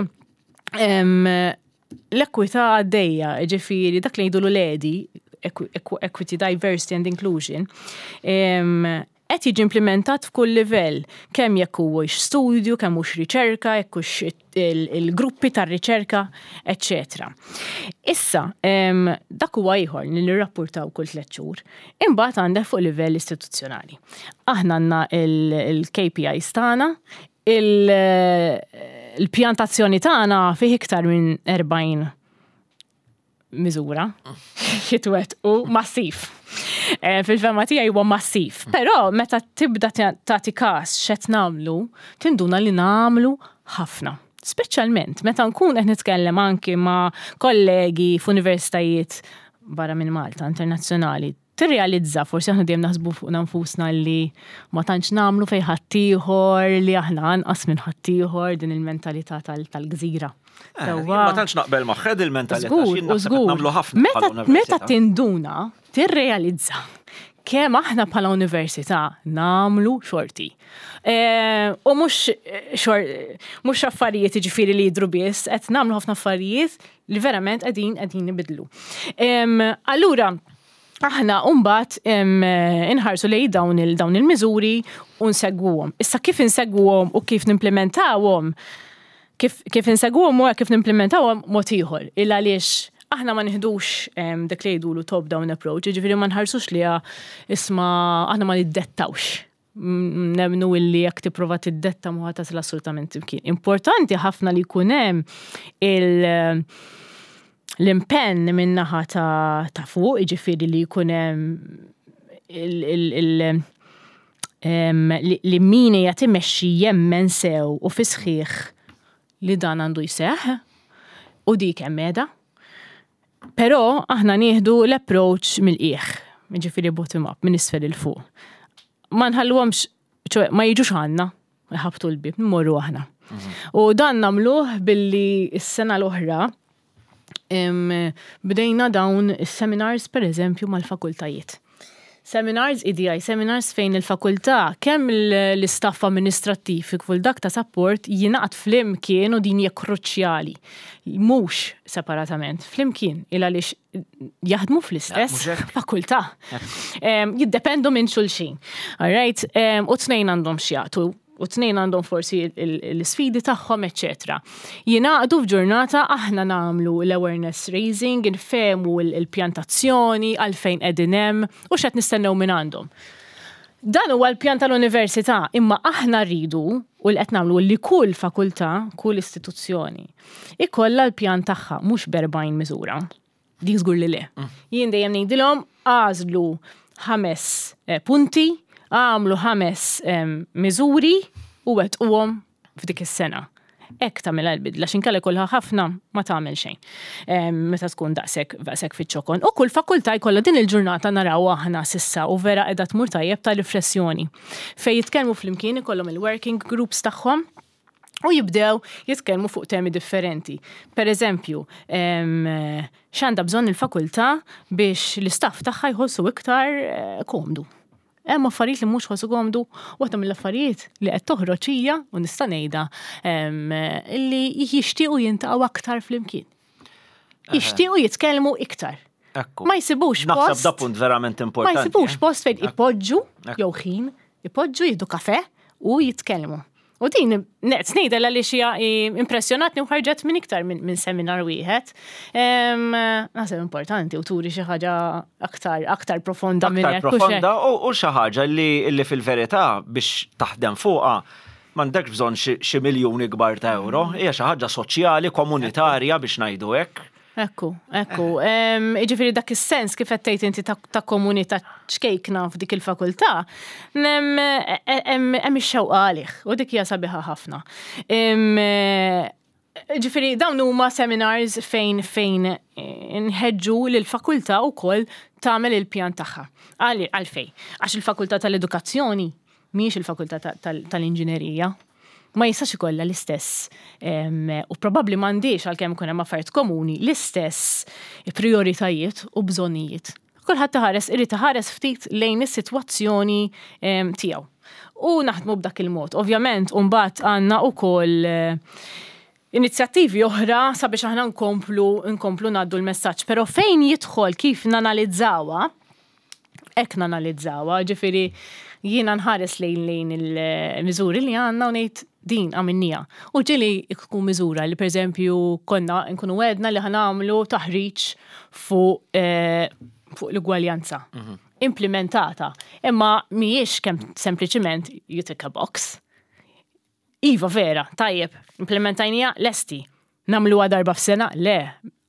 l-ekwità għaddejja, jiġifieri dak li jgħidulu l-EDI, Equity, Diversity and Inclusion, qed jiġi implimentat f'kull livell, kemm jekk huwiex studju, kemm hux riċerka, jekk hux il-gruppi tar-riċerka, eċċetera. Issa, dak huwa ieħor li nirrappurtaw kull tlett xhur. Imbagħad għandek fuq livell istituzzjonali. Aħna għandna il-KPIs tagħna, il-pjan tazzjoni tagħna fih iktar minn 40 miżura jitwettqu massiv. Eh, fil-fema tiegħi huwa massiv. Però meta tibda tagħti każ x'qed nagħmlu, tinduna li nagħmlu ħafna. Speċjalment meta nkun qed nitkellem anki ma' kollegi f'universitajiet barra minn Malta, internazzjonali, tirrealizza, forsi aħna dejjem naħsbu fuqna nfusna li ma tantx nagħmlu fejn ħaddieħor, li aħna anqas minn ħaddieħor, din il-mentalità tal-gżira. Eh, ma tantx naqbel magħha il-mentalità. Żgur, żgur. Nagħmlu ħafna. Meta tinduna, tirrealizza kemm aħna bħala università nagħmlu xorti. Eh, u mhux eh, mhux affarijiet jiġifieri li jidhru biss, qed nagħmlu ħafna affarijiet li verament qegħdin qegħdin nibidlu. Allura, aħna mbagħad inħarsu lejn dawn il dawn il-miżuri u nsegwuhom. Issa kif insegwuhom u kif nimplementawhom, kif, kif insegwuhom u kif nimplementawhom mod ieħor. Il għaliex aħna ma nieħdux dak li jgħidulu top-down approach, jiġifieri ma nħarsux li isma' aħna ma niddettawx. Nemmnu illi jekk tipprova tiddetta mhu ħa tasal assolutament imkien. Importanti ħafna li jkun hemm il- l-impenn min-naħa ta', ta fuq, jiġifieri li jkun hemm il, il, il, li, li min qiegħed imexxi jemmen sew u fi sħiħ li dan għandu jseħħ u dik hemm qiegħda. Però aħna nieħdu l-approach mill-qiegħ, jiġifieri bottom up, minn isfel 'il fuq. Ma nħalluhomx, ċoe ma jiġux għandna, iħabbtu l-bieb, nmorru aħna. U dan nagħmluh billi s-sena l-oħra bdejna dawn is-seminars pereżempju mal-fakultajiet. Seminars, EDI seminars fejn il-fakultà kemm l-istaff amministrattiv kif ukoll dak ta' support jingħaqad flimkien u din hija kruċjali. Mhux separatament, flimkien il għaliex jaħdmu fl-istess fakultà. Jiddependu minn xulxin. All right? U tnejn għandhom x'jagħtu u tnejn għandhom forsi l-isfidi tagħhom, eċċetera. Jingħaqdu f'ġurnata aħna nagħmlu l-awareness raising, infehmu l-pjantazzjoni, għalfejn qegħdin hemm u x'qed nistennew minn għandhom. Dan huwa l-pjan tal-università, imma aħna rridu u li qed nagħmlu li kull fakultà, kull istituzzjoni, ikollha l-pjan tagħha mhux b'erbgħin miżura. Dik żgur li le. Mm. Jien dejjem ngħidilhom għażlu ħames eh, punti, għamlu ħames miżuri u wettquhom f'dik is-sena. Hekk tagħmilha l-bidla x'inkella jkollha ħafna ma tagħmel xejn. Meta tkun daqshekk daqshekk fiċ-ċokon. U kull fakultà jkollha din il-ġurnata naraw aħna sissa u vera qiegħda tmur tajjeb ta' riflessjoni. Fejn jitkellmu flimkien ikollhom il-working groups tagħhom. U jibdew jitkellmu fuq temi differenti. Per eżempju, x'għandha bżonn il-fakultà biex l-istaff tagħha jħossu iktar eh, komdu. Hemm affarijiet li mhux ħossu komdu, waħda mill-affarijiet li qed toħroġ hija u nista' ngħidha li jixtiequ jintaqgħu aktar flimkien. Jixtiequ jitkellmu iktar. Ekku. Ma jsibux Naħseb post. da punt verament importanti. Ma jsibux eh. post fejn ipoġġu jew ħin, ipoġġu jieħdu kafe u jitkellmu. U din qed ngħidha għaliex hija impressjonatni u ħarġet minn iktar minn seminar wieħed. Naħseb importanti u turi xi ħaġa aktar aktar profonda minn Aktar profonda u xi ħaġa li fil-verità biex taħdem fuqha m'għandekx bżonn xi miljuni kbar ta' euro, hija xi ħaġa soċjali, komunitarja biex ngħidu hekk. Ekku, ekku. Jiġifieri dak is-sens kif qed tgħid inti ta' komunità ċkejkna f'dik il-fakultà, hemm ix-xewqa għalih u dik hija sabiħa ħafna. Ġifieri dawn huma seminars fejn fejn nħeġġu lill-fakultà wkoll tagħmel il-pjan tagħha. Għalfejn? Għax il-fakultà tal-edukazzjoni mhijiex il-fakultà tal-inġinerija. Ma jistax ikollha l-istess u probabbli m'għandhiex għalkemm ikun hemm affarijiet komuni l-istess prijoritajiet u bżonnijiet. Kulħadd iħares irid iħares ftit lejn is-sitwazzjoni tiegħu. U naħdmu b'dak il-mod. Ovvjament, mbagħad għandna wkoll inizjattivi oħra sabiex aħna nkomplu nkomplu ngħaddu l-messaġġ. Però fejn jidħol kif nanalizzawha, hekk nanalizzawha, ġifieri jiena nħares lejn lejn il-miżuri li għandna u ngħid din għamilniha. U ġieli tkun miżura li pereżempju konna nkunu għedna li ħa nagħmlu taħriġ fuq eh, fuq l-ugwaljanza. Mhm. Implementata. Imma mhijiex kemm sempliċiment you tick a box. Iva vera, tajjeb, implementajnija lesti. Nagħmluha darba f'sena? Le.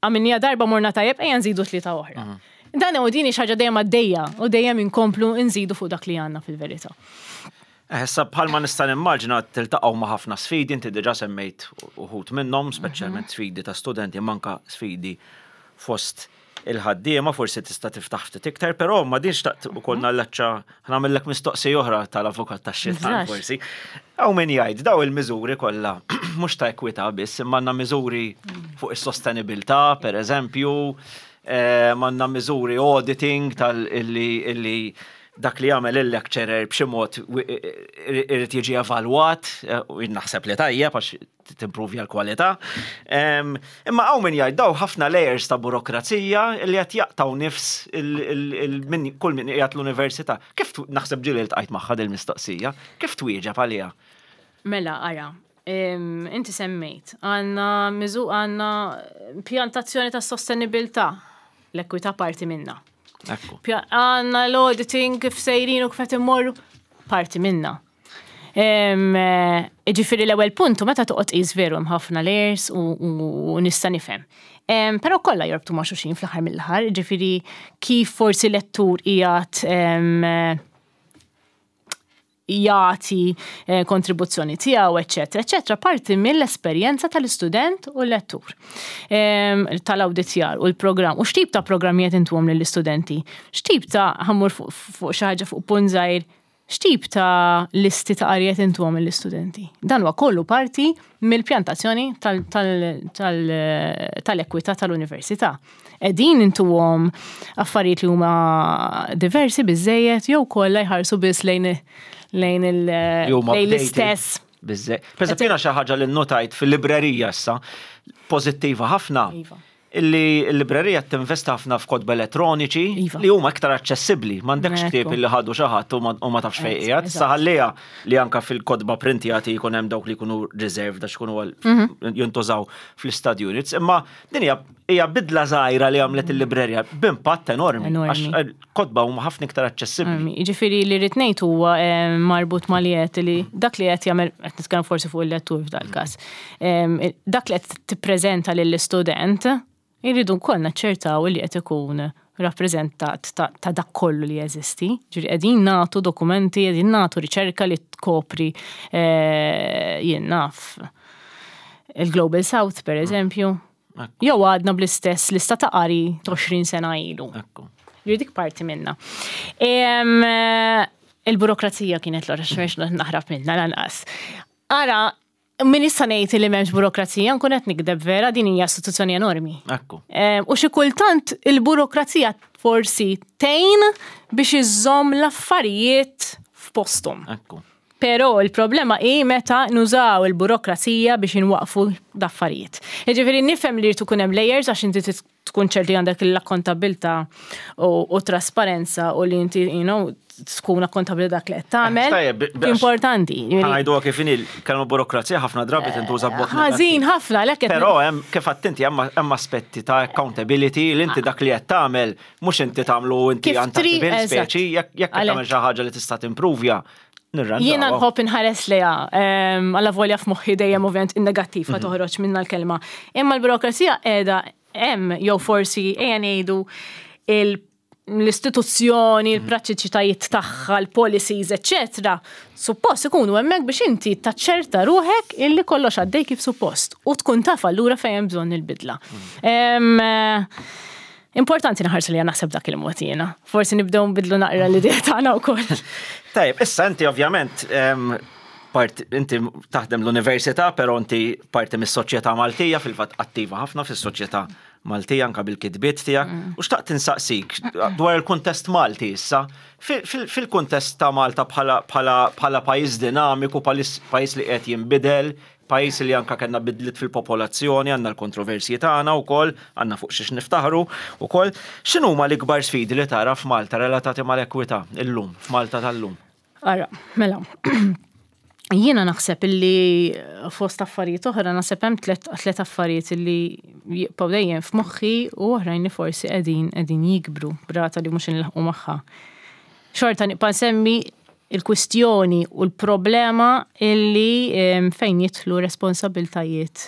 Għamilniha darba morna tajjeb, ejja nżidu tlieta oħra. Dan u din hi xi ħaġa dejjem għaddejja u dejjem inkomplu nżidu fuq dak li għandna fil-verità. Eh, issa bħalma nista' nimmaġina tiltaqgħu ma' ħafna sfidi, inti diġà semmejt uħud minnhom, speċjalment mhm. sfidi ta' studenti, manka sfidi fost il-ħaddiema, forsi tista' tiftaħ ftit iktar, però ma din xtaqt ukoll mhm. nallaċċa nagħmellek mistoqsija oħra tal-avukat tax-xitan forsi. Hawn min jgħid daw il-miżuri kollha mhux ta' ekwità biss, imma għandna miżuri fuq is-sostenibilità, per eżempju, eh, għandna miżuri auditing tal-illi dak li jagħmel il-lecturer b'xi mod irid jiġi evalwat, eh, u naħseb li tajjeb għax timpruvja l-kwalità. Imma hawn min jgħid daw ħafna layers ta' burokrazija li qed jaqtaw nifs kull min qiegħed l-università. Kif naħseb ġieli ltqajt magħha dil-mistoqsija, kif twieġeb għaliha? Mela, ara, inti semmejt, għandna miżu għandna pjantazzjoni ta' sostenibilità, l-ekwità parti minna. Għandna l-auditing kif sejrin u kif qed immorru, parti minna. Ġifieri l-ewwel punt meta toqgħod qis veru hemm ħafna layers u nista' nifhem. Però kollha jorbtu ma' xulxin fl-aħħar mill-aħħar, ġifieri kif forsi lettur qiegħed jagħti eh, kontribuzzjoni tiegħu, eċetera, eċetera, parti mill-esperjenza tal-istudent u l-lettur tal-awditjar u l-programm. U x'tip ta' programmi qed intuhom lill-istudenti? X'tip ta' ħammur fuq xi ħaġa fuq punt żgħir X'tip ta' listi ta' qari qed intuhom lill-istudenti? Dan huwa kollu parti mill-pjantazzjoni tal-ekwità tal-università. Qegħdin intuhom affarijiet li huma diversi biżżejjed jew kollha jħarsu biss lejn l-istess. Biżżejjed. Pereżempju jiena xi ħaġa li nnotajt fil-librerija issa, pożittiva ħafna, Iva. Illi l-librerija tinvesti ħafna f'kotba elettroniċi iva. li huma iktar aċċessibbli. M'għandekx ktieb illi ħadu xi ħadd u ma tafx fejn qiegħed. Issa ħalliha li anka fil-kotba printjati jkun hemm dawk li jkunu reserved għax jkunu mhm. jintużaw fl-study units. Imma din hija bidla żgħira li għamlet il-librerija b'impatt enormi. Għax eh, kotba huma ħafna iktar aċċessibbli. Jiġifieri li rrid ngħid huwa eh, marbut ma' li qed li dak li qed jagħmel qed nitkellem forsi fuq il-lettur f'dal-każ. Dak li qed tippreżenta lill-istudent irridu wkoll naċċertaw li qed ikun rappreżentat ta' dak kollu li jeżisti. Ġifieri qegħdin nagħtu dokumenti, qegħdin nagħtu riċerka li tkopri eh, jien naf il-Global South per eżempju. Jew għadna bl-istess lista ta' qari 20 sena ilu. Ġifieri dik parti minna. Il-burokrazija kienet l-ora xmerx naħrab minna lanqas. Ara, Min issa ngħid li m'hemmx burokrazija, nkun qed nikdeb vera, din hija istituzzjoni enormi. Ekku. U xi kultant il-burokrazija forsi tgħin biex iżżomm l-affarijiet f'posthom. Ekku. Però il-problema hi meta nużaw il-burokrazija biex inwaqqfu l-affarijiet. Jiġifieri nifhem li jrid ikun hemm layers għax inti tkun ċert li għandek l-akkontabbiltà u trasparenza u li inti, you know, tkun akkontabbli dak li qed tagħmel. Importanti. Ngħiduha kif inhi kelma burokrazija ħafna drabi tintuża b'mod. Ħażin ħafna lek. Però hemm kif għadt inti hemm aspetti ta' accountability li inti dak li qed tagħmel mhux inti tagħmlu inti untouchable speċi jekk tagħmel xi ħaġa li tista' timprovja. Jiena nħobb inħares leha, alla volja f'moħħi dejjem ovvjament in-negattiv mhm. toħroġ minna l-kelma. Imma l-burokrazija qiegħda hemm jew forsi ejja ngħidu l-istituzzjoni, mhm. il-prattiċitajiet tagħha, l-policies, eċċetera, suppost ikunu hemmhekk biex inti taċċerta ruħek illi kollox għaddej kif suppost u tkun taf allura fejn hemm bżonn il-bidla. Mhm. Importanti naħarsu li naħseb dak il-mod jiena. Forsi nibdew nbidlu naqra l-idea tagħna wkoll. Tajjeb, issa inti ovvjament part, inti taħdem l-università, però inti parti mis-soċjetà Maltija, fil-fatt attiva ħafna fis-soċjetà Maltija anka bil-kitbiet tiegħek. U xtaqt insaqsik dwar il-kuntest Malti issa, fil-kuntest ta' Malta bħala pajjiż dinamiku, pajjiż li qed jinbidel, pajjiż li anka kellna bidliet fil-popolazzjoni, għandna l-kontroversji tagħna wkoll, għandna fuq xiex niftaħru wkoll. X'inhuma l-ikbar sfidi li tara f'Malta relatati mal-ekwità illum, f'Malta tal-lum? Ara, mela. Jiena naħseb illi fost affarijiet oħra naħseb hemm tliet affarijiet illi jibqgħu dejjem f'moħħi u oħrajn li forsi qegħdin qegħdin jikbru b'rata li mhux inlaħqu magħha. Xorta nibqa' nsemmi il-kwistjoni u l-problema illi fejn jidħlu responsabiltajiet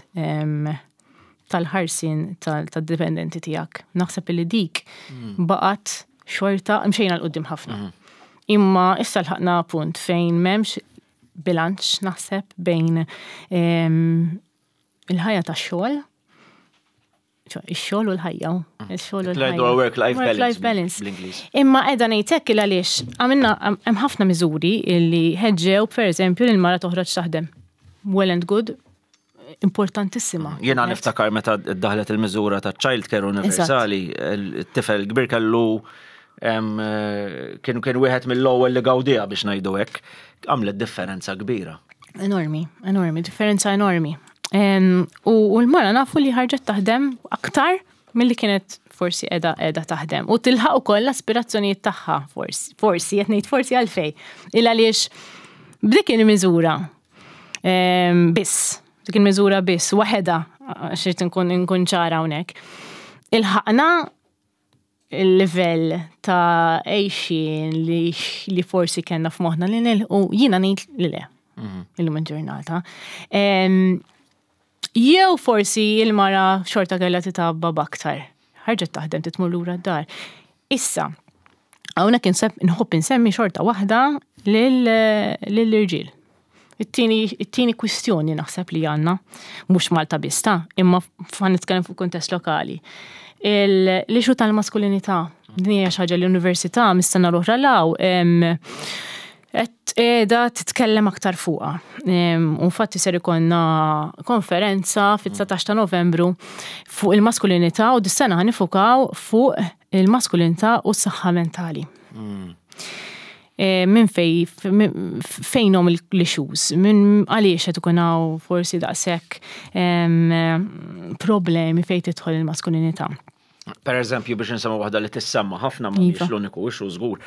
tal-ħarsien tad-dipendenti tiegħek. Naħseb illi dik mm. baqgħet xorta mxejna 'l quddiem ħafna. Mm. Imma issa lħaqna punt fejn m'hemmx bilanċ naħseb bejn il-ħajja tax-xogħol ix-xogħol u l-ħajja. Mm. Ix-xogħol u l-ħajja. Work-life balance. balance. Imma qiegħda ngħid hekk il għaliex għamilna hemm ħafna miżuri li ħeġġew pereżempju lil mara toħroġ taħdem. Well and good, importantissima. Jiena niftakar meta daħlet il-miżura ta' child care universali, it-tifel kbir kellu eh, kien kien wieħed mill-ewwel li gawdija biex ngħidu hekk, għamlet differenza kbira. Enormi, enormi, differenza enormi. U l-mara nafu li ħarġet taħdem aktar milli kienet forsi edha edha taħdem. U tilħaq ukoll l-aspirazzjonijiet tagħha forsi, forsi qed ngħid forsi għalfej. Il għaliex b'dik il-miżura biss, dik il-miżura biss, waħedha, għax irid nkun nkun ċara hawnhekk. Ilħaqna il-livell ta' għejxien li, li forsi kellna f'moħħna li nilħu, jiena ngħid li le. Mhm. Illum il-ġurnata. Jew forsi il-mara xorta kellha titabba b'aktar. Ħarġet taħdem titmur lura d-dar. Issa, hawnhekk nħobb insemmi xorta waħda lill-irġiel. It-tieni kwistjoni naħseb li għandna, mhux Malta biss ta' imma fa' nitkellem fuq kuntest lokali. L-issue tal-maskulinità, din hija xi ħaġa li l-università mis-sena l-oħra law qed qiegħda titkellem aktar fuqha. U infatti ser ikollna konferenza fit-19 ta' Novembru fuq il-maskulinità u dis-sena ħa nifukaw fuq il-maskulinità u s-saħħa mentali. Mm. E, minn fej, fejnhom l-issues, minn għaliex qed ikun hawn forsi daqshekk problemi fejn tidħol il-maskulinità. Per eżempju, biex nsemmu waħda li tissemma ħafna ma mhix iva. l-uniku issue żgur.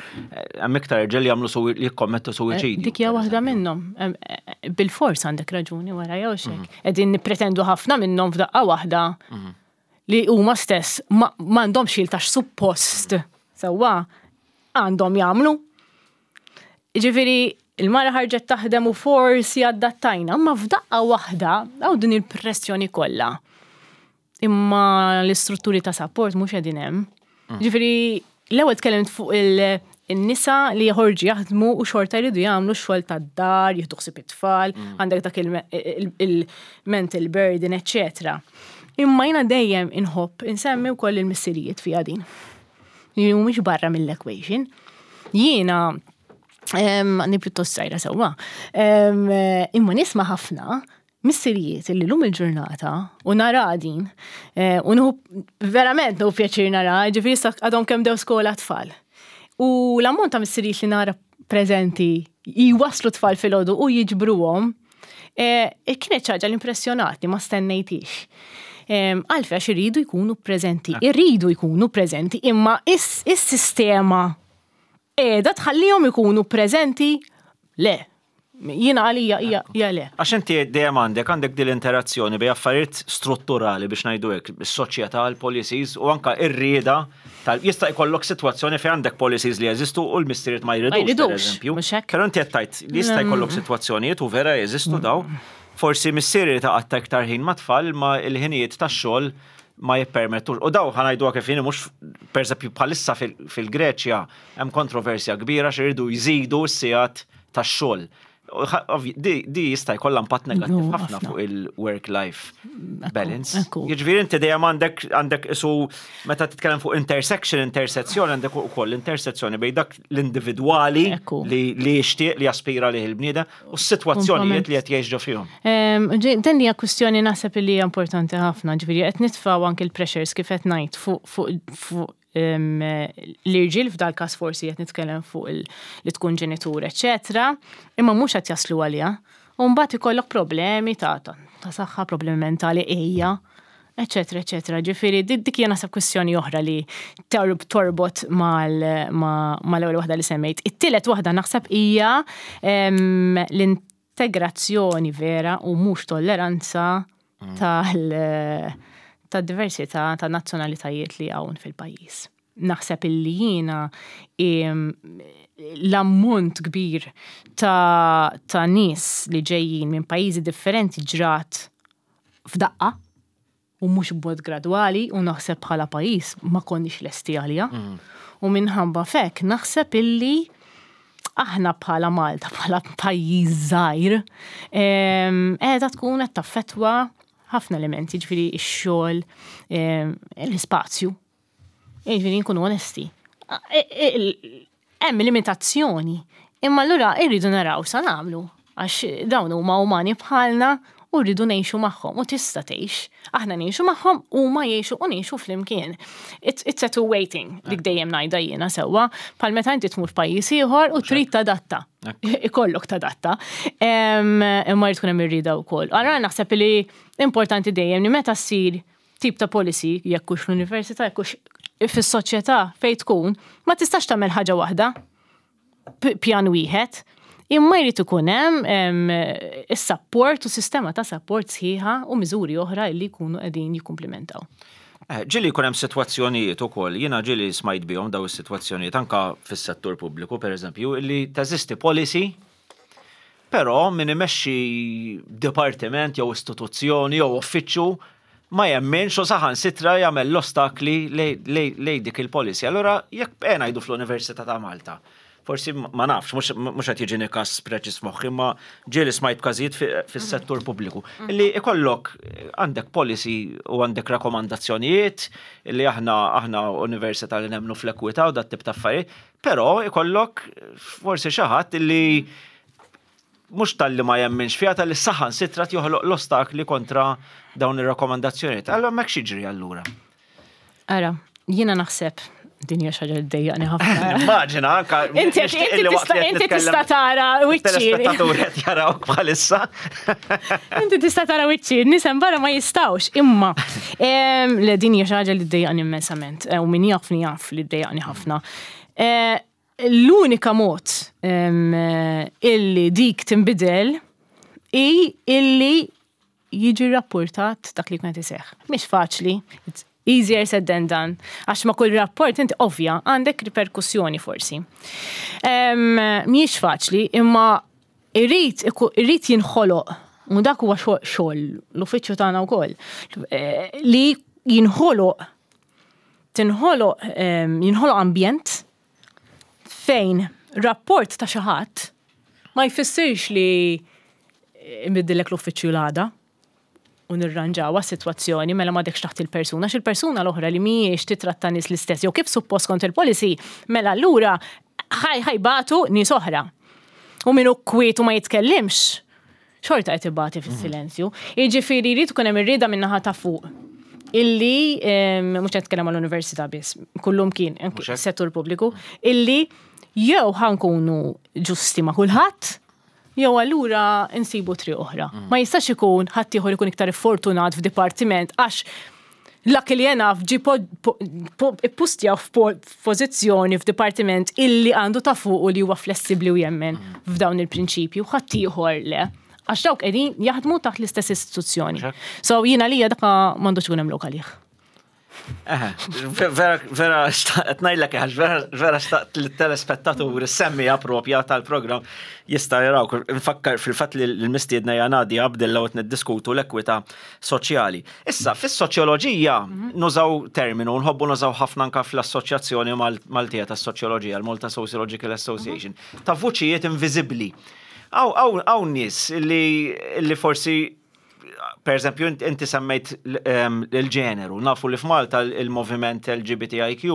Hemm iktar irġiel jagħmlu li jikkommettu suwiċidju. Dik hija waħda minnhom. Eh, bil-fors għandek raġuni wara jew xek. Mhm. Qegħdin nippretendu ħafna minnhom f'daqqa waħda mhm. li huma stess m'għandhomx il tax suppost sewwa għandhom jagħmlu. Ġifieri il-mara ħarġet taħdem u forsi adattajna, ma f'daqqa waħda hawn din il-pressjoni kollha imma l-istrutturi ta' support mhux qegħdin hemm. Mm. Ġifieri l-ewwel tkellimt fuq il-nisa li joħorġu jaħdmu u xorta jridu jagħmlu x-xogħol tad-dar, jieħdu ħsieb it-tfal, mm. għandek dak il-mental burden, eċċetera. Imma jiena dejjem inħobb insemmi wkoll il-missirijiet fiha din. Li mhumiex barra mill-equation. Jiena għandi pjuttost sajra sewwa. Imma nisma' ħafna. Missirijiet illi lum il-ġurnata u nara din, eh, u nħu verament nħu pjaċir nara, ġifieri issa għadhom kemm dew skola tfal. U l-ammont ta' missirijiet li nara preżenti jwaslu tfal filgħodu u jiġbruhom, eh, kienet xi ħaġa li impressjonatni ma stennejtix. Għalfejn għax iridu jkunu preżenti, iridu jkunu preżenti, imma is-sistema qiegħda tħallihom ikunu preżenti le. Jiena għalija hija hija le. Għax inti dejjem għandek għandek din l-interazzjoni bejn affarijiet strutturali biex ngħidu hekk, is-soċjetà, l-policies u anka r-rieda tal jista' jkollok sitwazzjoni fejn għandek policies li jeżistu u l-missirijiet ma jridux. Ma jridux, pereżempju. mhux hekk? Però inti qed tgħid li jista' jkollok sitwazzjonijiet u vera jeżistu daw. Forsi missier irid iqatta' iktar ħin mat-tfal imma l-ħinijiet tax-xogħol ma jippermettux. U daw ħa ngħiduha kif inhi mhux pereżempju bħalissa fil-Greċja hemm kontroversja kbira għax iridu jżidu s-sigħat tax-xogħol. Di jista' jkollha impatt negattiv ħafna fuq il-work-life balance. Jiġifieri inti dejjem għandek għandek isu meta titkellem fuq intersection, intersezzjoni għandek ukoll intersezzjoni bejn dak l-individwali li jixtieq li jaspira lih il-bniedem u s-sitwazzjonijiet li qed jgħix ġo fihom. Din hija kwistjoni naħseb li hija importanti ħafna, ġifieri qed nitfgħu anke l-pressures kif qed ngħid fuq l-irġiel f'dal każ forsi qed nitkellem fuq li tkun ġenitur, eċetera, imma mhux qed jaslu għaliha. U mbagħad ikollok problemi ta' ta' saħħa, problemi mentali ejja, eċetera, eċetera. Ġifieri dik hija naħseb kwistjoni oħra li torbot mal-ewwel waħda li semmejt. It-tielet waħda naħseb hija l-integrazzjoni vera u mhux tolleranza tal ta' diversità ta' nazzjonalitajiet li hawn fil-pajjiż. Naħseb illi jiena l-ammont kbir ta', ta nies li ġejjin minn pajjiżi differenti ġrat f'daqqa u mhux b'mod gradwali u naħseb bħala pajjiż ma konniex lesti għaliha. U minħabba fek naħseb illi aħna bħala Malta, bħala pajjiż żgħir, qiegħda tkun qed taffettwa ħafna elementi, ġifieri x-xogħol, l-ispazju. Ġifieri nkunu onesti. Hemm limitazzjoni. Imma allura irridu naraw sa nagħmlu għax dawn huma umani bħalna u rridu ngħixu magħhom u tista' tgħix. Aħna ngħixu magħhom huma jgħixu u ngħixu flimkien. It's, it's a two-way thing, dik dejjem ngħidha jiena sewwa, bħal meta inti tmur f'pajjiż ieħor u trid tadatta. Ikollok tadatta. Imma jrid tkun hemm irrieda wkoll. Allura naħseb li importanti dejjem li meta ssir tip ta' policy, jekk hux l-università, jekk hux fis-soċjetà fejn tkun, ma tistax tagħmel ħaġa waħda pjan wieħed, imma jrid ikun hemm is-support u sistema ta' support sħiħa u miżuri oħra li jkunu qegħdin jikkumplimentaw. Eh, ġieli jkun hemm sitwazzjonijiet ukoll, jiena ġieli smajt bihom daw is-sitwazzjonijiet anka fis-settur pubbliku pereżempju, li teżisti policy però min imexxi dipartiment jew istituzzjoni jew uffiċċju ma jemminx u saħansitra jagħmel l-ostakli lejn dik il-policy. Allura jekk eh, ngħidu fl-Università ta' Malta, forsi ma nafx, mhux qed jiġini każ preċiż f'moħħi, imma ġieli smajt każijiet fis-settur pubbliku. Li ikollok għandek policy u għandek rakkomandazzjonijiet li aħna aħna università li nemmnu fl-ekwità u dat tip ta' affarijiet, però ikollok forsi xi ħadd li mhux talli ma jemminx fiha talli saħansitra joħloq l-ostakli kontra dawn ir-rakkomandazzjonijiet. Allura hemmhekk x'jiġri allura? Ara, jiena naħseb din hija xi ħaġa li ddejjaqni ħafna. Immaġina anka Inti inti tista' tara wiċċi. Telespettaturi qed jarawk bħalissa. Inti tista' tara wiċċi, nies hemm barra ma jistgħux, imma le din hija xi ħaġa li ddejjaqni immensament u min jafni jaf li ddejjaqni ħafna. Eh, l-unika mod illi dik tinbidel hi illi jiġi rapportat dak li jkun iseħħ. Mhix faċli, it's easier said than done. Għax ma kull rapport inti ovvja għandek riperkussjoni forsi. Mhijiex faċli, imma irrid irrid jinħoloq u dak huwa xogħol l-uffiċċju tagħna wkoll eh, li jinħoloq tinħoloq jinħoloq ambjent fejn rapport ta' xi ħadd ma jfissirx li nbiddillek l-uffiċċju l-għada u nirranġawha s-sitwazzjoni mela m'għadekx taħt il-persuna, għax il-persuna l-oħra li mhijiex titratta nies l-istess jew kif suppost kont il-policy, mela allura ħajbatu nies oħra. U min hu kwiet u ma jitkellimx. Xorta qed ibati fis-silenzju. Jiġifieri jrid ikun hemm ir-rieda min-naħa ta' fuq illi mhux qed nitkellem għall-università biss, kullum kien settur pubbliku, illi jew ħankunu ġusti ma' kulħadd, jew allura nsibu triq oħra. Ma jistax ikun ħaddieħor ikun iktar fortunat f'dipartiment għax luckily enough ġie ippustjaw f'pożizzjoni f'dipartiment illi għandu ta' fuq u li huwa flessibbli u jemmen f'dawn il-prinċipji u ħaddieħor le. Għax dawk qegħdin jaħdmu taħt l-istess istituzzjoni. So jiena lija dak m'għandux ikun hemm lok għalih. Vera, vera, xtaqt ngħidlek għax vera, vera xtaqt li t-telespettaturi semmija propja tal-programm jista' jaraw. Nfakkar fil-fatt li l-mistiedna hija Nadia Abdilla u qed niddiskutu l-ekwità soċjali. Issa, fis-soċjoloġija nużaw terminu, nħobbu nużaw ħafna anka fl-Assoċjazzjoni Maltija tas-Soċjoloġija, l-Malta Sociological Association, ta' vuċijiet inviżibbli. Hawn nies li forsi per eżempju, inti semmejt il-ġeneru, nafu li f'Malta il-moviment LGBTIQ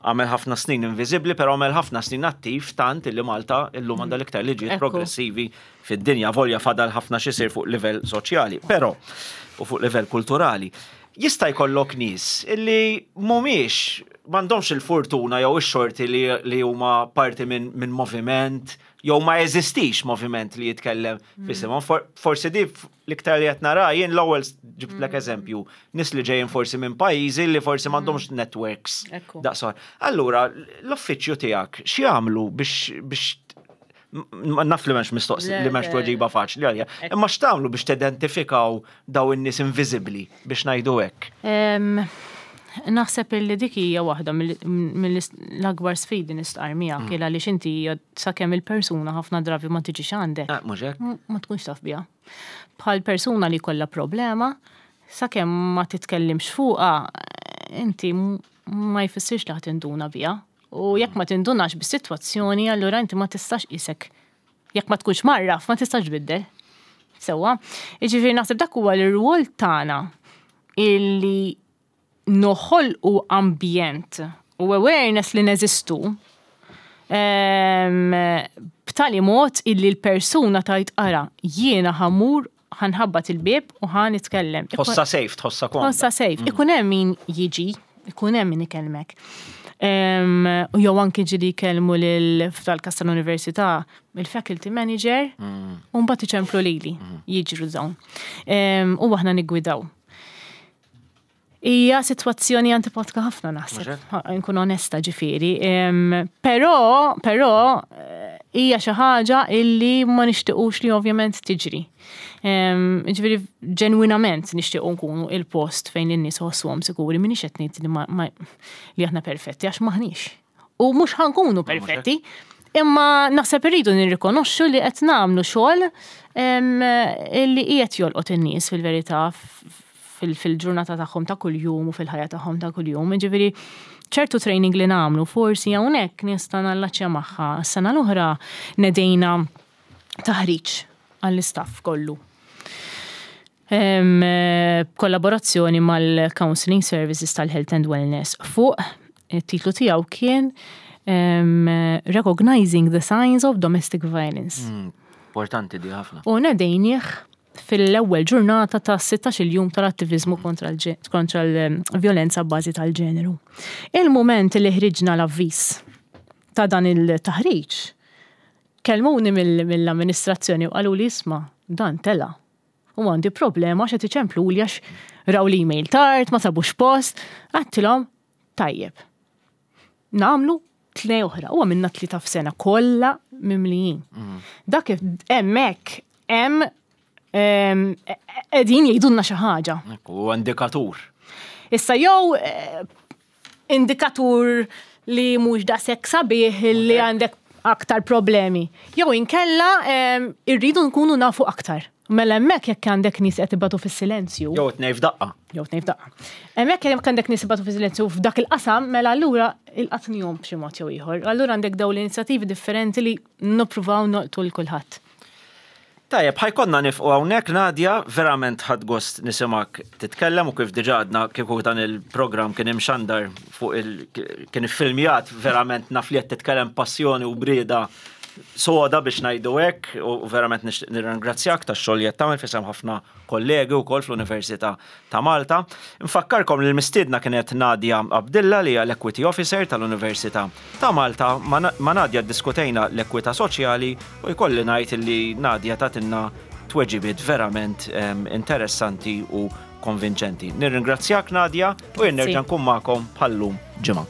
għamel ħafna snin inviżibbli, però għamel ħafna snin attiv tant illi Malta illum għandha l-iktar liġijiet progressivi fid-dinja, volja fadal ħafna x'isir fuq livell soċjali, però u fuq livell kulturali. Jista' jkollok nies illi mhumiex m'għandhomx il-fortuna jew ix-xorti li, li huma parti minn min moviment jew ma jeżistix moviment li jitkellem f'isimhom. For, forsi di l-iktar li qed nara jien l-ewwel ġibtlek eżempju, nies li ġejjin forsi minn pajjiżi li forsi m'għandhomx networks. Daqsor. Allura, l-uffiċċju tiegħek x'jagħmlu biex biex naf li m'hemmx mistoqsi li m'hemmx tweġiba faċli għalija, imma x'tagħmlu biex tidentifikaw daw in-nies inviżibbli biex ngħidu hekk? Naħseb illi dik hija waħda mill-akbar sfidi nistqar miegħek mm. għaliex inti sakemm il-persuna ħafna drabi ma tiġix għandek. Ah, ma tkunx taf biha. Bħal persuna li kollha problema, sakemm ma titkellimx fuqha, inti ma jfissirx li ħa tinduna biha. U jekk ma tindunax bis-sitwazzjoni, allura inti ma tistax qisek. Jekk ma tkunx marraf, ma tistax tbiddel. Sewwa. Jiġifieri naħseb dak huwa l-irwol tagħna illi noħolqu ambjent u awareness li neżistu ehm, b'tali mod illi l-persuna tajt ara jiena ħamur ħanħabbat il-bieb u ħa nitkellem. Tħossa safe, tħossa komda. Tħossa safe. Mm. Ikun hemm min jiġi, ikun hemm min ikellmek. U jew anki ġili jkellmu lil f'dal-kas tal-università il-faculty manager mm. u mbagħad iċemplu lili mm. jiġru dawn. U aħna niggwidaw. Hija sitwazzjoni antipatika ħafna naħseb, nkun onesta ġifieri. Però, però eh, hija xi ħaġa illi ma nixtiequx li ovvjament tiġri. Ġifieri ġenwinament nixtiequ nkunu il-post fejn in-nies ħossuhom sikuri, m'iniex qed ngħid li aħna perfetti għax maħniex. U mhux ħankunu perfetti, imma naħseb irridu nirrikonoxxu li qed nagħmlu xogħol li qiegħed jolqot in-nies fil-verità fil-ġurnata tagħhom ta' kuljum u fil-ħajja tagħhom ta' kuljum. Ġifieri ċertu training li nagħmlu forsi hawnhekk nista' nallaċċja magħha. Sena l-oħra nedejna taħriġ għall-istaff kollu. B'kollaborazzjoni mal-Counselling Services tal-Health and Wellness fuq it-titlu tiegħu kien Recognizing the Signs of Domestic Violence. Mm, importanti di ħafna. U nedejnieh fil-ewwel ġurnata ta' 16 jum tal-attivizmu kontra l-vjolenza b'bażi tal-ġeneru. Il-mument li ħriġna l-avviż ta' dan il-taħriġ, kellmuni mill-amministrazzjoni u qaluli isma' dan tela'. U għandi problema għax qed iċempluli għax raw l-email tard, ma sabux post. Għedtilhom, tajjeb. Nagħmlu tnej oħra. U għamilna tlieta f'sena kollha mimlijin. Mm. Dak hemmhekk hemm qegħdin jgħidulna xi ħaġa. U indikatur. Issa jew eh, indikatur li mhux daqshekk sabiħ li għandek aktar problemi. Jew inkella irridu nkunu nafu aktar. Mela hemmhekk jekk għandek nies qed ibatu fis-silenzju. Jew tnej f'daqqa. Jew tnej f'daqqa. Hemmhekk jekk għandek nies ibatu fis-silenzju f'dak il-qasam, mela allura il-qatnihom b'xi mod jew ieħor. Allura għandek dawn l-inizjattivi differenti li nippruvaw nolqtu 'l kulħadd. Tajjeb, ħa jkollna nifqu hawnhekk Nadia, verament ħadt gost nisimgħek titkellem u kif diġà għadna kieku dan il-programm kien imxandar fuq il kien iffilmjat verament naf li qed titkellem passjoni u brieda soda biex ngħidu hekk u verament nixtieq nirringrazzjak tax-xogħol li qed tagħmel f'isem ħafna kollegi wkoll fl-Università ta' Malta. Nfakkarkom li l-mistiedna kienet Nadia Abdilla li hija l-Equity Officer tal-Università ta' Malta. Ma' Nadia ddiskutejna l-ekwità soċjali u jkolli ngħid li Nadia tatilna tweġibiet verament interessanti u konvinċenti. Nirringrazzjak Nadia u jien nerġa' nkun magħkom bħal-lum ġimgħa.